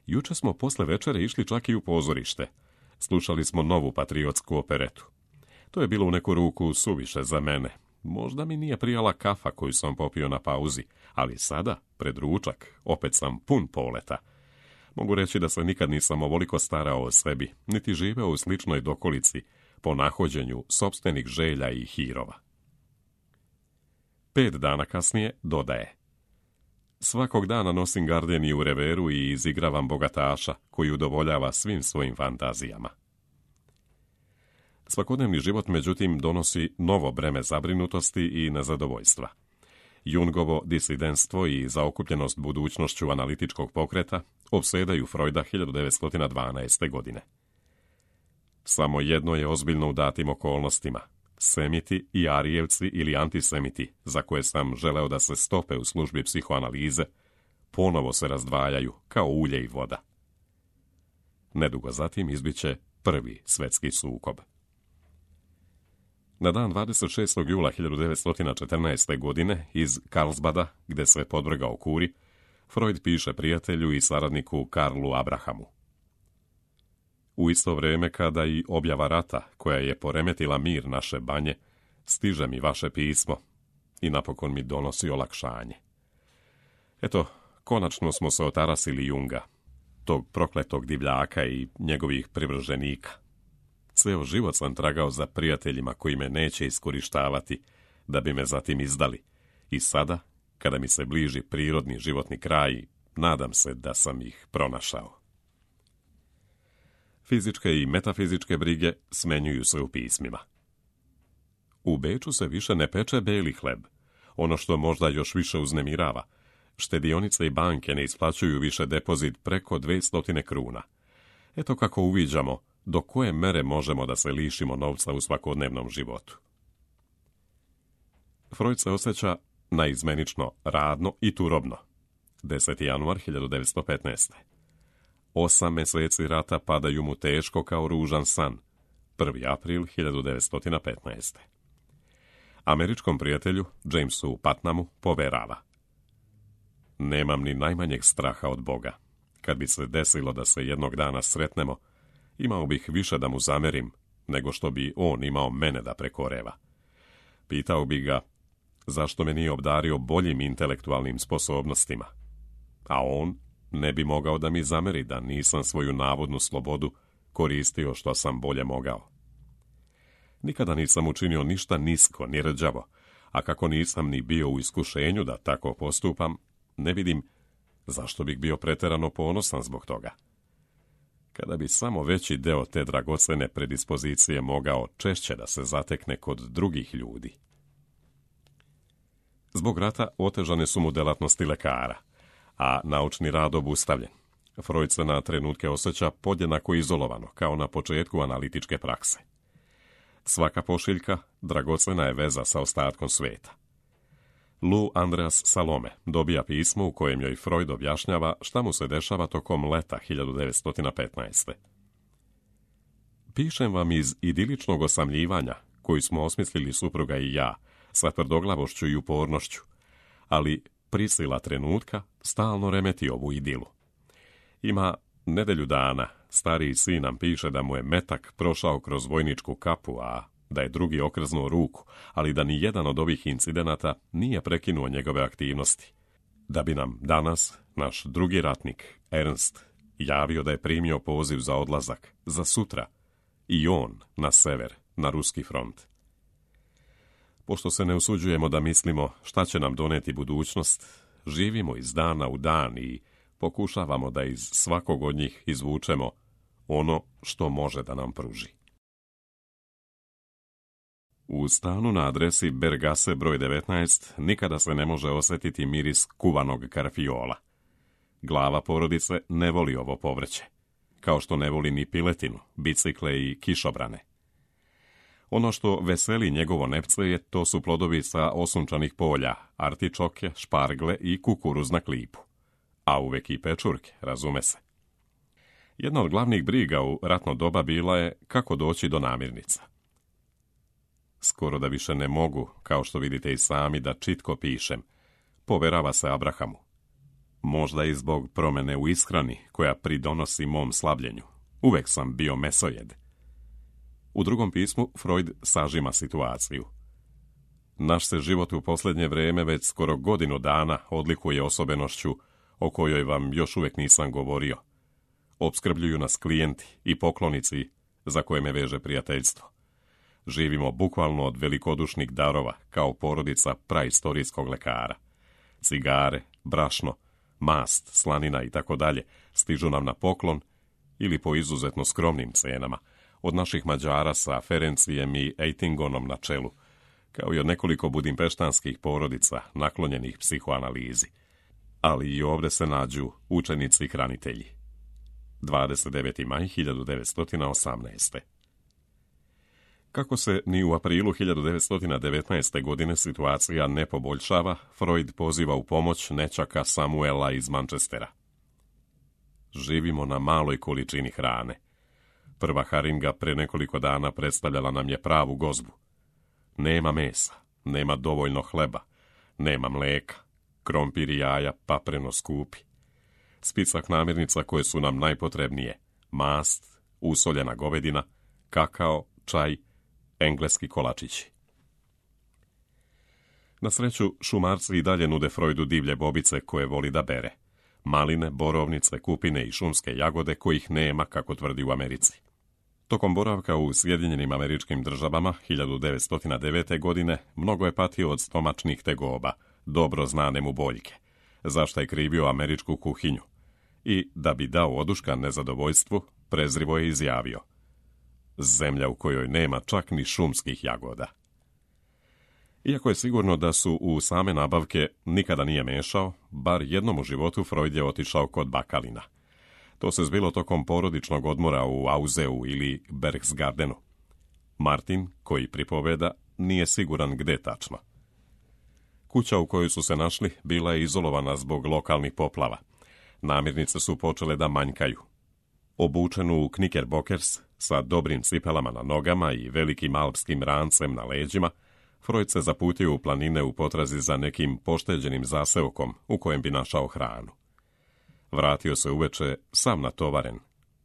Juče smo posle večere išli čak i u pozorište. Slušali smo novu patriotsku operetu. To je bilo u neku ruku suviše za mene. Možda mi nije prijala kafa koju sam popio na pauzi, ali sada, pred ručak, opet sam pun poleta. Mogu reći da se nikad nisam ovoliko starao o sebi, niti živeo u sličnoj dokolici, po nahođenju sopstvenih želja i hirova. 5 dana kasnije dodaje: svakog dana nosim gardeniju u reveru i izigravam bogataša koji udovoljava svim svojim fantazijama. Svakodnevni život, međutim, donosi novo breme zabrinutosti i nezadovoljstva. Jungovo disidentstvo i zaokupljenost budućnošću analitičkog pokreta opsedaju Freuda 1912. godine. Samo jedno je ozbiljno u datim okolnostima. Semiti i arijevci ili antisemiti, za koje sam želeo da se stope u službi psihoanalize, ponovo se razdvajaju kao ulje i voda. Nedugo zatim izbiće prvi svetski sukob. Na dan 26. jula 1914. godine iz Karlsbada, gde se podvrgao kuri, Freud piše prijatelju i saradniku Karlu Abrahamu: u isto vrijeme kada i objava rata, koja je poremetila mir naše banje, stiže mi vaše pismo i napokon mi donosi olakšanje. Eto, konačno smo se otarasili Junga, tog prokletog divljaka i njegovih privrženika. Ceo život sam tragao za prijateljima koji me neće iskorištavati, da bi me zatim izdali. I sada, kada mi se bliži prirodni životni kraj, nadam se da sam ih pronašao. Fizičke i metafizičke brige smenjuju se u pismima. U Beču se više ne peče beli hleb. Ono što možda još više uznemirava, štedionice i banke ne isplaćuju više depozit preko 200 kruna. Eto kako uviđamo do koje mere možemo da se lišimo novca u svakodnevnom životu. Freud se osjeća naizmenično radno i turobno. 10. januar 1915. 8 meseci rata padaju mu teško kao ružan san. 1. april 1915. Američkom prijatelju, Jamesu Putnamu, poverava: nemam ni najmanjeg straha od Boga. Kad bi se desilo da se jednog dana sretnemo, imao bih više da mu zamerim, nego što bi on imao mene da prekoreva. Pitao bi ga zašto me nije obdario boljim intelektualnim sposobnostima, a on ne bi mogao da mi zameri da nisam svoju navodnu slobodu koristio što sam bolje mogao. Nikada nisam učinio ništa nisko ni rđavo, a kako nisam ni bio u iskušenju da tako postupam, ne vidim zašto bih bio preterano ponosan zbog toga. Kada bi samo veći deo te dragocene predispozicije mogao češće da se zatekne kod drugih ljudi. Zbog rata otežane su mu delatnosti lekara, a naučni rad obustavljen. Freud se na trenutke osjeća podjednako izolovano, kao na početku analitičke prakse. Svaka pošiljka dragocena je veza sa ostatkom sveta. Lou Andreas Salome dobija pismo u kojem joj Freud objašnjava šta mu se dešava tokom leta 1915. Pišem vam iz idiličnog osamljivanja, koji smo osmislili supruga i ja, sa tvrdoglavošću i upornošću, ali prisila trenutka stalno remeti ovu idilu. Ima nedelju dana, stariji sin nam piše da mu je metak prošao kroz vojničku kapu, a da je drugi okrznuo ruku, ali da ni jedan od ovih incidenata nije prekinuo njegove aktivnosti. Da bi nam danas naš drugi ratnik, Ernst, javio da je primio poziv za odlazak, za sutra, i on na sever, na ruski front. Pošto se ne usuđujemo da mislimo šta će nam doneti budućnost, živimo iz dana u dan i pokušavamo da iz svakog od njih izvučemo ono što može da nam pruži. U stanu na adresi Bergase broj 19 nikada se ne može osjetiti miris kuvanog karfiola. Glava porodice ne voli ovo povrće, kao što ne voli ni piletinu, bicikle i kišobrane. Ono što veseli njegovo nepce to su plodovi sa osunčanih polja, artičoke, špargle i kukuruz na klipu. A uvek i pečurke, razume se. Jedna od glavnih briga u ratno doba bila je kako doći do namirnica. Skoro da više ne mogu, kao što vidite i sami, da čitko pišem, poverava se Abrahamu. Možda i zbog promene u ishrani koja pridonosi mom slabljenju. Uvek sam bio mesojed. U drugom pismu Freud sažima situaciju. Naš se život u posljednje vrijeme već skoro godinu dana odlikuje osobenošću o kojoj vam još uvijek nisam govorio. Opskrbljuju nas klijenti i poklonici za koje me veže prijateljstvo. Živimo bukvalno od velikodušnih darova, kao porodica praistorijskog lekara. Cigare, brašno, mast, slanina i tako dalje stižu nam na poklon ili po izuzetno skromnim cenama, od naših Mađara sa Ferencijem i Eitingonom na čelu, kao i od nekoliko budimpeštanskih porodica naklonjenih psihoanalizi. Ali i ovdje se nađu učenici i hranitelji. 29. maj 1918. Kako se ni u aprilu 1919. godine situacija ne poboljšava, Freud poziva u pomoć nećaka Samuela iz Manchestera. Živimo na maloj količini hrane. Prva haringa pre nekoliko dana predstavljala nam je pravu gozbu. Nema mesa, nema dovoljno hleba, nema mleka, krompir i jaja papreno skupi. Spicak namirnica koje su nam najpotrebnije, mast, usoljena govedina, kakao, čaj, engleski kolačići. Na sreću, šumarci i dalje nude Freudu divlje bobice koje voli da bere. Maline, borovnice, kupine i šumske jagode kojih nema, kako tvrdi u Americi. Tokom boravka u Sjedinjenim Američkim Državama 1909. godine mnogo je patio od stomačnih tegoba, dobro znane mu boljke, zašto je krivio američku kuhinju. I, da bi dao oduška nezadovoljstvu, prezrivo je izjavio: zemlja u kojoj nema čak ni šumskih jagoda. Iako je sigurno da su u same nabavke nikada nije mešao, bar jednom u životu Freud je otišao kod bakalina. To se zbilo tokom porodičnog odmora u Auzeu ili Berchtesgadenu. Martin, koji pripoveda, nije siguran gde tačno. Kuća u kojoj su se našli bila je izolovana zbog lokalnih poplava. Namirnice su počele da manjkaju. Obučenu u knickerbockers, sa dobrim cipelama na nogama i velikim alpskim rancem na leđima, Freud se zaputio u planine u potrazi za nekim pošteđenim zaseokom u kojem bi našao hranu. Vratio se uveče sam natovaren.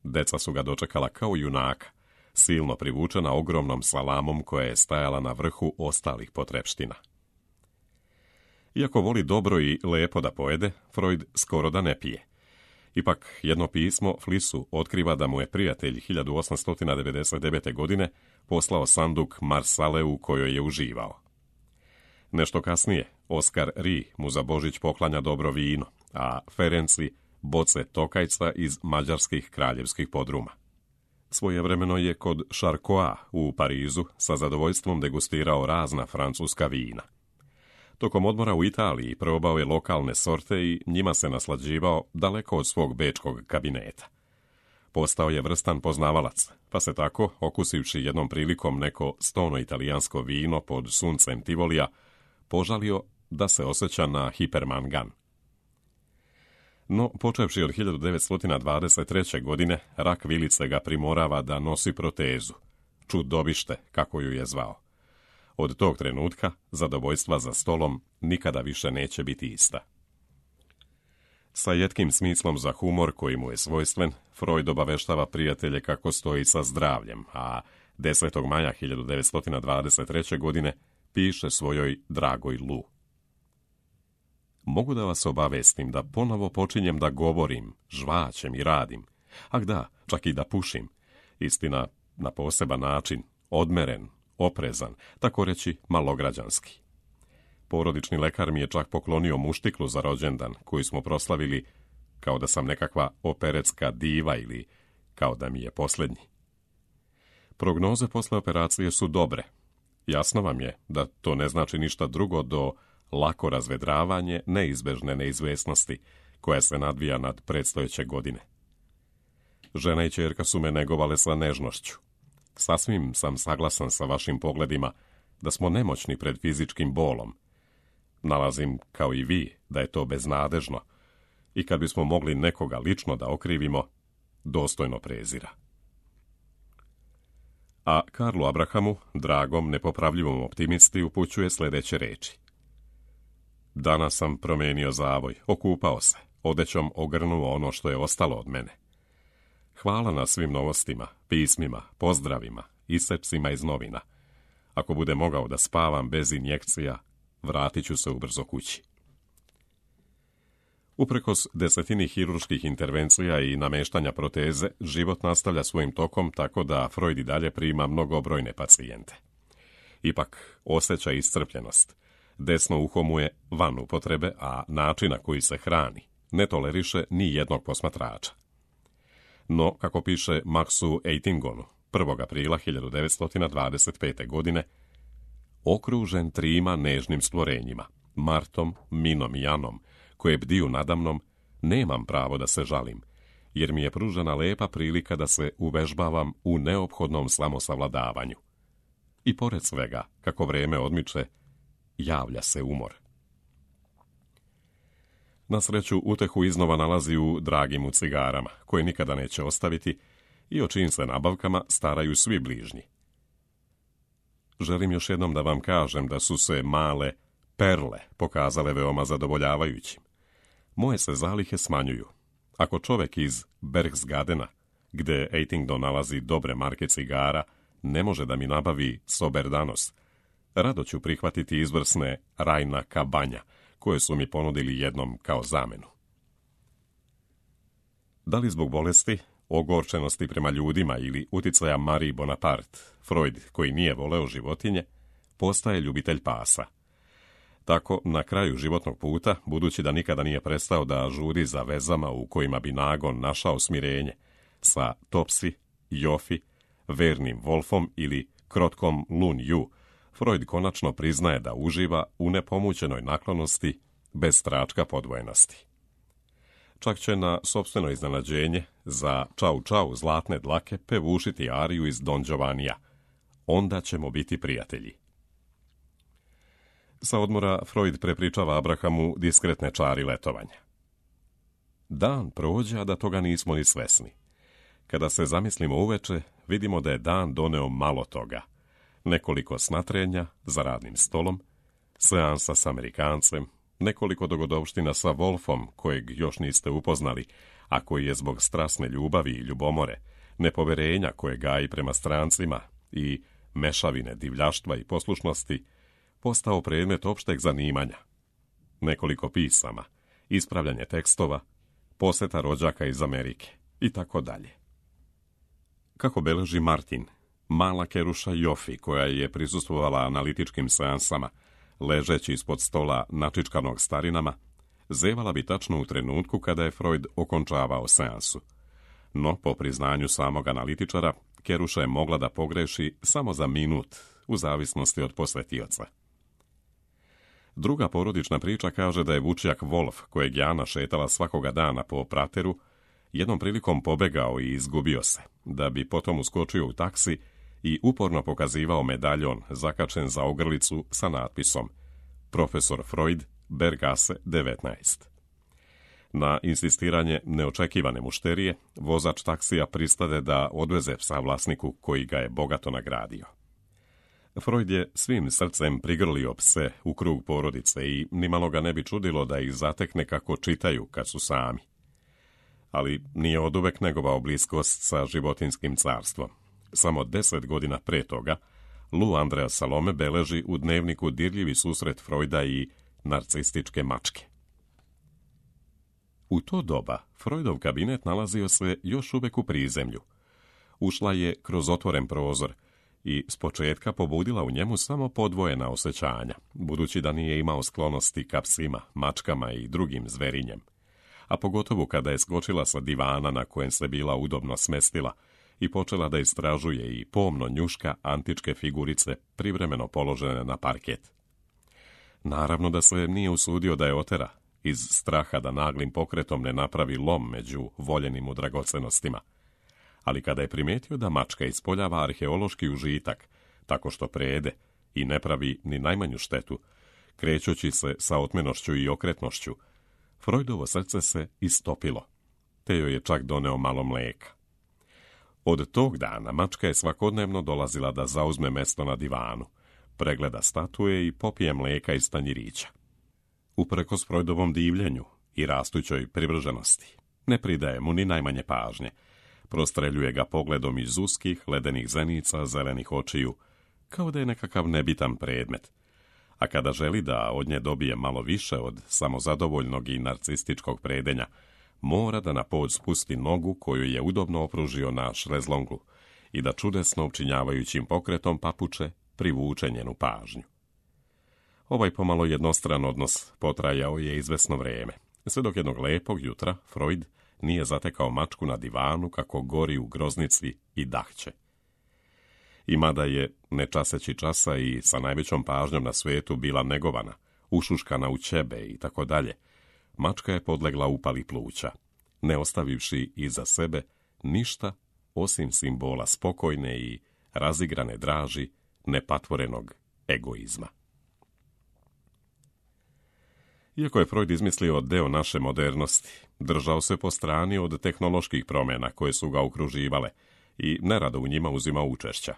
Deca su ga dočekala kao junaka, silno privučena ogromnom salamom koja je stajala na vrhu ostalih potrepština. Iako voli dobro i lepo da pojede, Freud skoro da ne pije. Ipak jedno pismo Flissu otkriva da mu je prijatelj 1899. godine poslao sanduk marsale u kojoj je uživao. Nešto kasnije Oskar Rie mu za Božić poklanja dobro vino, a Ferenci boce tokajca iz mađarskih kraljevskih podruma. Svojevremeno je kod Charcoa u Parizu sa zadovoljstvom degustirao razna francuska vina. Tokom odmora u Italiji probao je lokalne sorte i njima se naslađivao daleko od svog bečkog kabineta. Postao je vrstan poznavalac, pa se tako, okusivši jednom prilikom neko stono italijansko vino pod suncem Tivolija, požalio da se osjeća na hipermangan. No, počevši od 1923. godine, rak vilice ga primorava da nosi protezu, čudobište, kako ju je zvao. Od tog trenutka zadovoljstva za stolom nikada više neće biti ista. Sa jetkim smislom za humor koji mu je svojstven, Freud obaveštava prijatelje kako stoji sa zdravljem, a 10. maja 1923. godine piše svojoj dragoj Lu. Mogu da vas obavestim da ponovo počinjem da govorim, žvaćem i radim, a da, čak i da pušim, istina na poseban način, odmeren, oprezan, tako reći malograđanski. Porodični lekar mi je čak poklonio muštiklu za rođendan, koju smo proslavili kao da sam nekakva operetska diva ili kao da mi je posljednji. Prognoze posle operacije su dobre. Jasno vam je da to ne znači ništa drugo do lako razvedravanje neizbežne neizvesnosti koja se nadvija nad predstojeće godine. Žena i ćerka su me negovale sa nežnošću. Sasvim sam saglasan sa vašim pogledima da smo nemoćni pred fizičkim bolom. Nalazim, kao i vi, da je to beznadežno i kad bismo mogli nekoga lično da okrivimo, dostojno prezira. A Karlu Abrahamu, dragom, nepopravljivom optimisti, upućuje sljedeće reči. Danas sam promijenio zavoj, okupao se, odećom ogrnuo ono što je ostalo od mene. Hvala na svim novostima, pismima, pozdravima, iscepcima iz novina. Ako bude mogao da spavam bez injekcija, vratit ću se ubrzo kući. Uprkos desetini hirurških intervencija i nameštanja proteze, život nastavlja svojim tokom tako da Freud i dalje prima mnogobrojne pacijente. Ipak osjeća iscrpljenost. Desno uho mu je van upotrebe, a način na koji se hrani ne toleriše ni jednog posmatrača. No, kako piše Maxu Eitingonu 1. aprila 1925. godine, okružen trima nežnim stvorenjima, Martom, Minom i Janom, koje bdiju nadamnom, nemam pravo da se žalim, jer mi je pružena lepa prilika da se uvežbavam u neophodnom samosavladavanju. I pored svega, kako vreme odmiče, javlja se umor. Na sreću, utehu iznova nalazi u dragim u cigarama, koje nikada neće ostaviti i o čijim se nabavkama staraju svi bližnji. Želim još jednom da vam kažem da su se male perle pokazale veoma zadovoljavajućim. Moje se zalihe smanjuju. Ako čovjek iz Berchtesgadena, gde Eitingdon nalazi dobre marke cigara, ne može da mi nabavi Soberdanos, rado ću prihvatiti izvrsne Rajna Kabanja, koje su mi ponudili jednom kao zamenu. Da li zbog bolesti, ogorčenosti prema ljudima ili uticaja Marie Bonaparte, Freud, koji nije voleo životinje, postaje ljubitelj pasa. Tako, na kraju životnog puta, budući da nikada nije prestao da žudi za vezama u kojima bi nagon našao smirenje, sa Topsi, Jofi, vernim Wolfom ili krotkom Lun Yu, Freud konačno priznaje da uživa u nepomućenoj naklonosti bez tračka podvojenosti. Čak će na sopstveno iznenađenje za Čau Čau zlatne dlake pevušiti ariju iz Don Giovannija. Onda ćemo biti prijatelji. Sa odmora Freud prepričava Abrahamu diskretne čari letovanja. Dan prođe, a da toga nismo ni svesni. Kada se zamislimo uveče, vidimo da je dan doneo malo toga. Nekoliko snatrenja za radnim stolom, seansa s Amerikancem, nekoliko dogodovština sa Wolfom, kojeg još niste upoznali, a koji je zbog strasne ljubavi i ljubomore, nepoverenja koje gaji prema strancima i mešavine divljaštva i poslušnosti, postao predmet opšteg zanimanja. Nekoliko pisama, ispravljanje tekstova, poseta rođaka iz Amerike i tako dalje. Kako beleži Martin, mala keruša Jofi, koja je prisustvovala analitičkim seansama, ležeći ispod stola načičkanog starinama, zevala bi tačno u trenutku kada je Freud okončavao seansu. No, po priznanju samog analitičara, Keruša je mogla da pogreši samo za minut, u zavisnosti od posvetioca. Druga porodična priča kaže da je vučjak Wolf, kojeg je Ana šetala svakoga dana po prateru, jednom prilikom pobegao i izgubio se, da bi potom uskočio u taksi i uporno pokazivao medaljon zakačen za ogrlicu sa natpisom Profesor Freud, Bergasse 19. Na insistiranje neočekivane mušterije, vozač taksija pristade da odveze psa vlasniku koji ga je bogato nagradio. Freud je svim srcem prigrlio pse u krug porodice i nimalo ga ne bi čudilo da ih zatekne kako čitaju kad su sami. Ali nije oduvek negovao bliskost sa životinskim carstvom. Samo 10 godina pre toga, Lou Andrea Salome beleži u dnevniku dirljivi susret Freuda i narcističke mačke. U to doba Freudov kabinet nalazio se još uvek u prizemlju. Ušla je kroz otvoren prozor i s početka pobudila u njemu samo podvojena osjećanja, budući da nije imao sklonosti ka psima, mačkama i drugim zverinjem. A pogotovo kada je skočila sa divana na kojem se bila udobno smestila i počela da istražuje i pomno njuška antičke figurice privremeno položene na parket. Naravno da se nije usudio da je otera, iz straha da naglim pokretom ne napravi lom među voljenim u dragocenostima. Ali kada je primijetio da mačka ispoljava arheološki užitak, tako što prejede i ne pravi ni najmanju štetu, krećući se sa otmenošću i okretnošću, Freudovo srce se istopilo, te joj je čak doneo malo mlijeka. Od tog dana mačka je svakodnevno dolazila da zauzme mesto na divanu, pregleda statue i popije mlijeka iz tanjirića. Uprkos Freudovom divljenju i rastućoj privrženosti, ne pridaje mu ni najmanje pažnje, prostreljuje ga pogledom iz uskih, ledenih zenica, zelenih očiju, kao da je nekakav nebitan predmet. A kada želi da od nje dobije malo više od samozadovoljnog i narcističkog predenja, mora da na pod spusti nogu koju je udobno opružio na šlezlongu i da čudesno učinjavajućim pokretom papuče privuče njenu pažnju. Ovaj pomalo jednostran odnos potrajao je izvesno vrijeme, sve dok jednog lepog jutra Freud nije zatekao mačku na divanu kako gori u groznici i dahće. I mada je, ne časeći časa i sa najvećom pažnjom na svijetu, bila negovana, ušuškana u ćebe i tako dalje, mačka je podlegla upali pluća, ne ostavivši iza sebe ništa osim simbola spokojne i razigrane draži nepatvorenog egoizma. Iako je Freud izmislio deo naše modernosti, držao se po strani od tehnoloških promjena koje su ga okruživale i nerado u njima uzimao učešća.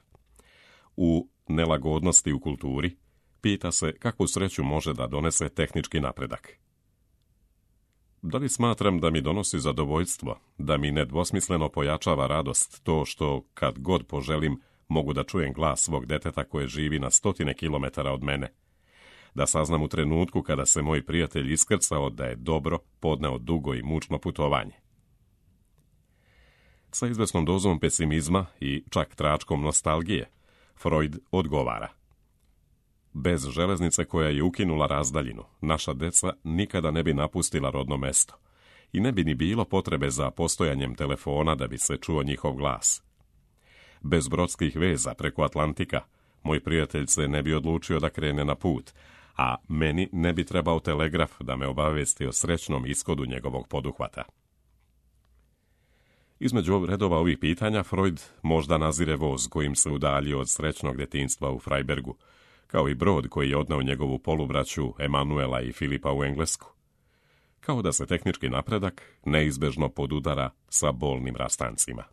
U nelagodnosti u kulturi pita se kakvu sreću može da donese tehnički napredak. Da li smatram da mi donosi zadovoljstvo, da mi nedvosmisleno pojačava radost to što, kad god poželim, mogu da čujem glas svog deteta koje živi na 100 kilometara od mene, da saznam u trenutku kada se moj prijatelj iskrcao da je dobro podneo dugo i mučno putovanje. Sa izvesnom dozom pesimizma i čak tračkom nostalgije, Freud odgovara: bez železnice koja je ukinula razdaljinu, naša deca nikada ne bi napustila rodno mesto i ne bi ni bilo potrebe za postojanjem telefona da bi se čuo njihov glas. Bez brodskih veza preko Atlantika, moj prijatelj se ne bi odlučio da krene na put, a meni ne bi trebao telegraf da me obavijesti o srećnom ishodu njegovog poduhvata. Između redova ovih pitanja Freud možda nazire voz kojim se udaljio od srećnog detinjstva u Freibergu, kao i brod koji je odneo njegovu polubraću Emanuela i Filipa u Englesku. Kao da se tehnički napredak neizbežno podudara sa bolnim rastancima.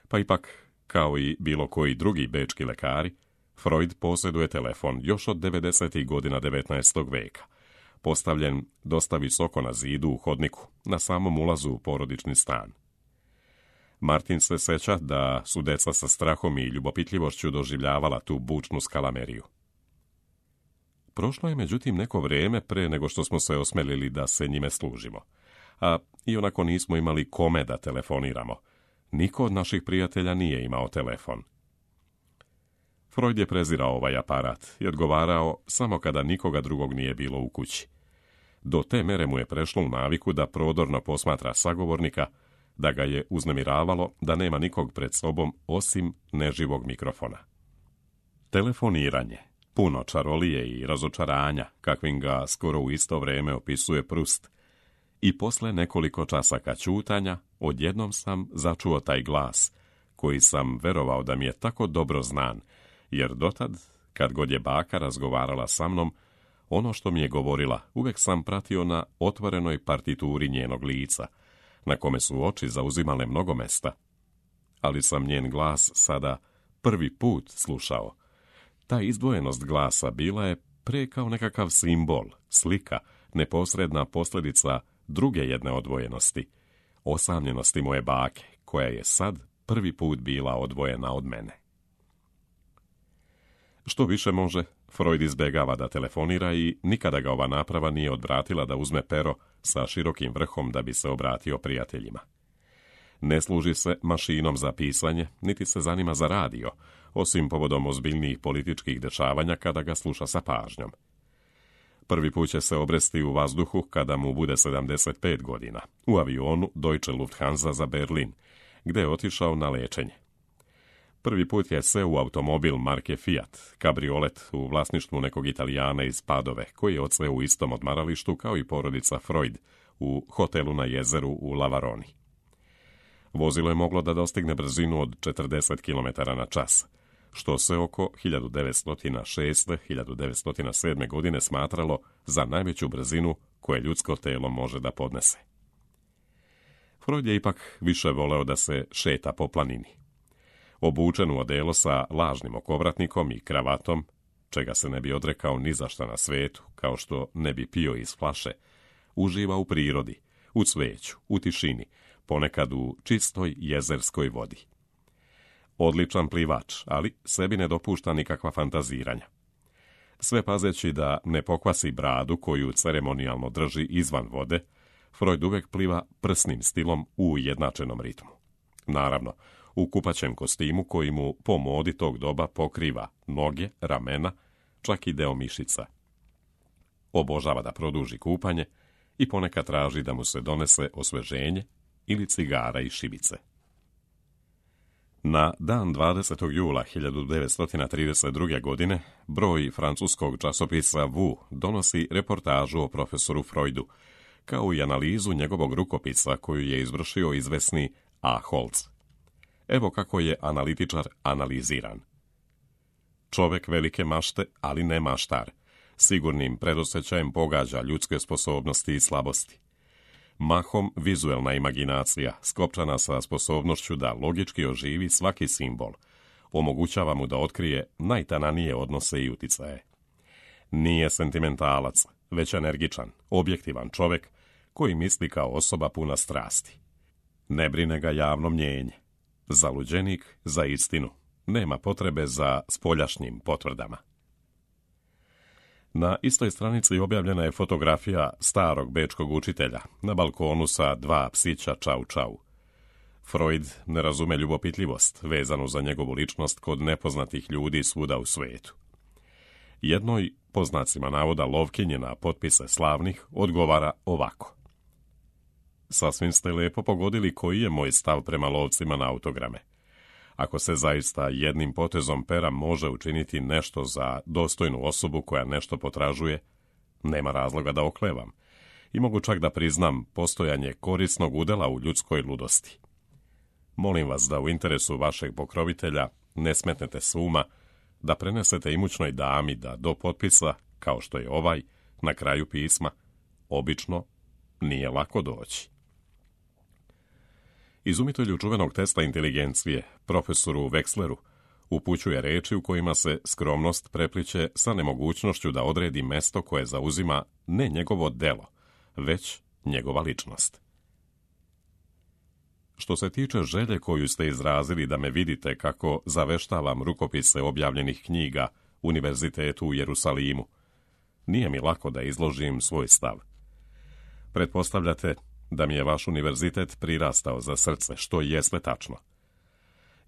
Pa ipak, kao i bilo koji drugi bečki lekari, Freud posjeduje telefon još od 90. godina 19. veka, postavljen dosta visoko na zidu u hodniku, na samom ulazu u porodični stan. Martin se seća da su deca sa strahom i ljubopitljivošću doživljavala tu bučnu skalameriju. Prošlo je međutim neko vrijeme pre nego što smo se osmelili da se njime služimo, a ionako nismo imali kome da telefoniramo. Niko od naših prijatelja nije imao telefon. Freud je prezirao ovaj aparat i odgovarao samo kada nikoga drugog nije bilo u kući. Do te mere mu je prešlo u naviku da prodorno posmatra sagovornika, da ga je uznemiravalo da nema nikog pred sobom osim neživog mikrofona. Telefoniranje, puno čarolije i razočaranja, kakvim ga skoro u isto vrijeme opisuje Proust, i posle nekoliko časaka ćutanja, odjednom sam začuo taj glas, koji sam verovao da mi je tako dobro znan, jer dotad, kad god je baka razgovarala sa mnom, ono što mi je govorila uvek sam pratio na otvorenoj partituri njenog lica, na kome su oči zauzimale mnogo mesta. Ali sam njen glas sada prvi put slušao. Ta izdvojenost glasa bila je pre kao nekakav simbol, slika, neposredna posljedica druge jedne odvojenosti, osamljenosti moje bake, koja je sad prvi put bila odvojena od mene. Što više može, Freud izbjegava da telefonira i nikada ga ova naprava nije odvratila da uzme pero sa širokim vrhom da bi se obratio prijateljima. Ne služi se mašinom za pisanje, niti se zanima za radio, osim povodom ozbiljnijih političkih dešavanja kada ga sluša sa pažnjom. Prvi put će se obresti u vazduhu kada mu bude 75 godina, u avionu Deutsche Lufthansa za Berlin, gde je otišao na lečenje. Prvi put je seo u automobil marke Fiat, kabriolet u vlasništvu nekog Italijana iz Padove, koji je odseo u istom odmaralištu kao i porodica Freud u hotelu na jezeru u Lavaroni. Vozilo je moglo da dostigne brzinu od 40 km na čas, što se oko 1906-1907. godine smatralo za najveću brzinu koje ljudsko telo može da podnese. Freud je ipak više voleo da se šeta po planini. Obučen u odelo sa lažnim okovratnikom i kravatom, čega se ne bi odrekao ni za šta na svetu, kao što ne bi pio iz flaše, uživa u prirodi, u cveću, u tišini, ponekad u čistoj jezerskoj vodi. Odličan plivač, ali sebi ne dopušta nikakva fantaziranja. Sve pazeći da ne pokvasi bradu koju ceremonijalno drži izvan vode, Freud uvek pliva prsnim stilom u ujednačenom ritmu. Naravno, u kupaćem kostimu koji mu po modi tog doba pokriva noge, ramena, čak i deo mišica. Obožava da produži kupanje i ponekad traži da mu se donese osveženje ili cigara i šibice. Na dan 20. jula 1932. godine broj francuskog časopisa Vu donosi reportažu o profesoru Freudu, kao i analizu njegovog rukopisa koju je izvršio izvesni A. Holz. Evo kako je analitičar analiziran. Čovek velike mašte, ali ne maštar. Sigurnim predosjećajem pogađa ljudske sposobnosti i slabosti. Mahom vizuelna imaginacija, skopčana sa sposobnošću da logički oživi svaki simbol, omogućava mu da otkrije najtananije odnose i uticaje. Nije sentimentalac, već energičan, objektivan čovek koji misli kao osoba puna strasti. Ne brine ga javno mnjenje. Zaluđenik za istinu. Nema potrebe za spoljašnjim potvrdama. Na istoj stranici objavljena je fotografija starog bečkog učitelja na balkonu sa 2 psića čau čau. Freud ne razume ljubopitljivost vezanu za njegovu ličnost kod nepoznatih ljudi svuda u svetu. Jednoj, po znacima navoda lovkinje na potpise slavnih, odgovara ovako. Sasvim ste lepo pogodili koji je moj stav prema lovcima na autograme. Ako se zaista jednim potezom pera može učiniti nešto za dostojnu osobu koja nešto potražuje, nema razloga da oklevam i mogu čak da priznam postojanje korisnog udela u ljudskoj ludosti. Molim vas da u interesu vašeg pokrovitelja ne smetnete s uma, da prenesete imućnoj dami da do potpisa, kao što je ovaj, na kraju pisma, obično nije lako doći. Izumitelju čuvenog testa inteligencije, profesoru Wechsleru, upućuje reči u kojima se skromnost prepliče sa nemogućnošću da odredi mesto koje zauzima ne njegovo delo, već njegova ličnost. Što se tiče želje koju ste izrazili da me vidite kako zaveštavam rukopise objavljenih knjiga Univerzitetu u Jerusalimu, nije mi lako da izložim svoj stav. Pretpostavljate da mi je vaš univerzitet prirastao za srce, što jeste tačno.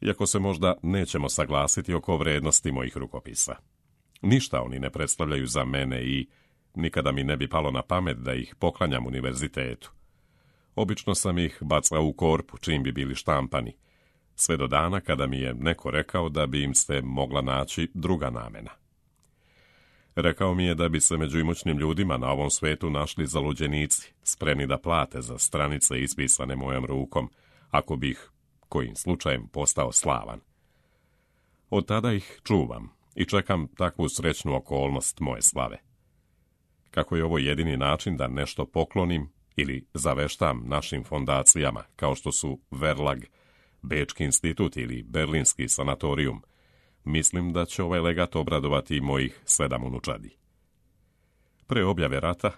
Iako se možda nećemo saglasiti oko vrednosti mojih rukopisa. Ništa oni ne predstavljaju za mene i nikada mi ne bi palo na pamet da ih poklanjam univerzitetu. Obično sam ih bacao u korpu čim bi bili štampani, sve do dana kada mi je neko rekao da bi im se mogla naći druga namena. Rekao mi je da bi se među imućnim ljudima na ovom svetu našli zaluđenici, spremni da plate za stranice ispisane mojom rukom, ako bih, kojim slučajem, postao slavan. Od tada ih čuvam i čekam takvu srećnu okolnost moje slave. Kako je ovo jedini način da nešto poklonim ili zaveštam našim fondacijama, kao što su Verlag, Bečki institut ili Berlinski sanatorijum, mislim da će ovaj legat obradovati mojih 7 unučadi. Pre objave rata,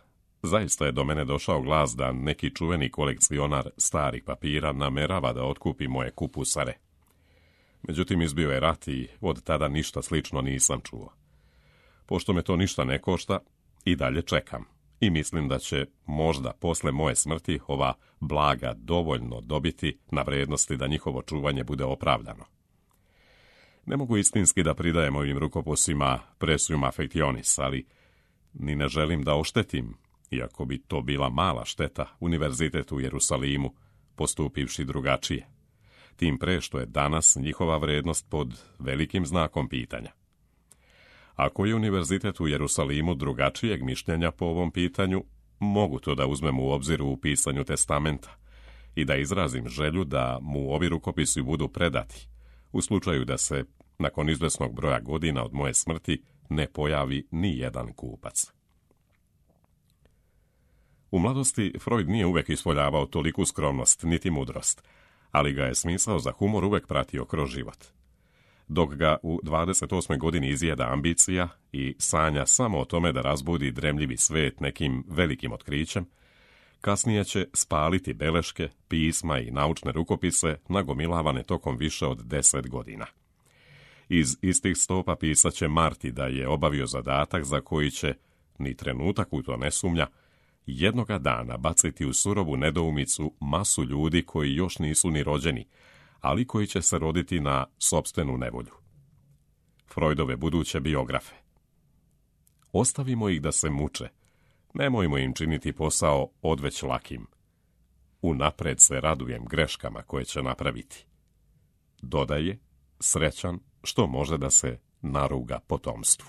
zaista je do mene došao glas da neki čuveni kolekcionar starih papira namerava da otkupi moje kupusare. Međutim, izbio je rat i od tada ništa slično nisam čuo. Pošto me to ništa ne košta, i dalje čekam i mislim da će možda posle moje smrti ova blaga dovoljno dobiti na vrednosti da njihovo čuvanje bude opravdano. Ne mogu istinski da pridajem ovim rukopisima presium affectionis, ali ni ne želim da oštetim, iako bi to bila mala šteta, Univerzitet u Jerusalimu, postupivši drugačije. Tim pre što je danas njihova vrednost pod velikim znakom pitanja. Ako je Univerzitet u Jerusalimu drugačijeg mišljenja po ovom pitanju, mogu to da uzmem u obzir u pisanju testamenta i da izrazim želju da mu ovi rukopisi budu predati, u slučaju da se, nakon izvesnog broja godina od moje smrti, ne pojavi ni jedan kupac. U mladosti Freud nije uvek ispoljavao toliku skromnost niti mudrost, ali ga je smisao za humor uvek pratio kroz život. Dok ga u 28. godini izjeda ambicija i sanja samo o tome da razbudi dremljivi svet nekim velikim otkrićem, kasnije će spaliti beleške, pisma i naučne rukopise nagomilavane tokom više od 10 godina. Iz istih stopa pisaće Marti da je obavio zadatak za koji će, ni trenutak u to ne sumnja, jednoga dana baciti u surovu nedoumicu masu ljudi koji još nisu ni rođeni, ali koji će se roditi na sopstvenu nevolju. Freudove buduće biografe. Ostavimo ih da se muče, nemojmo im činiti posao odveć lakim. Unapred se radujem greškama koje će napraviti. Dodaje, srećan što može da se naruga potomstvu.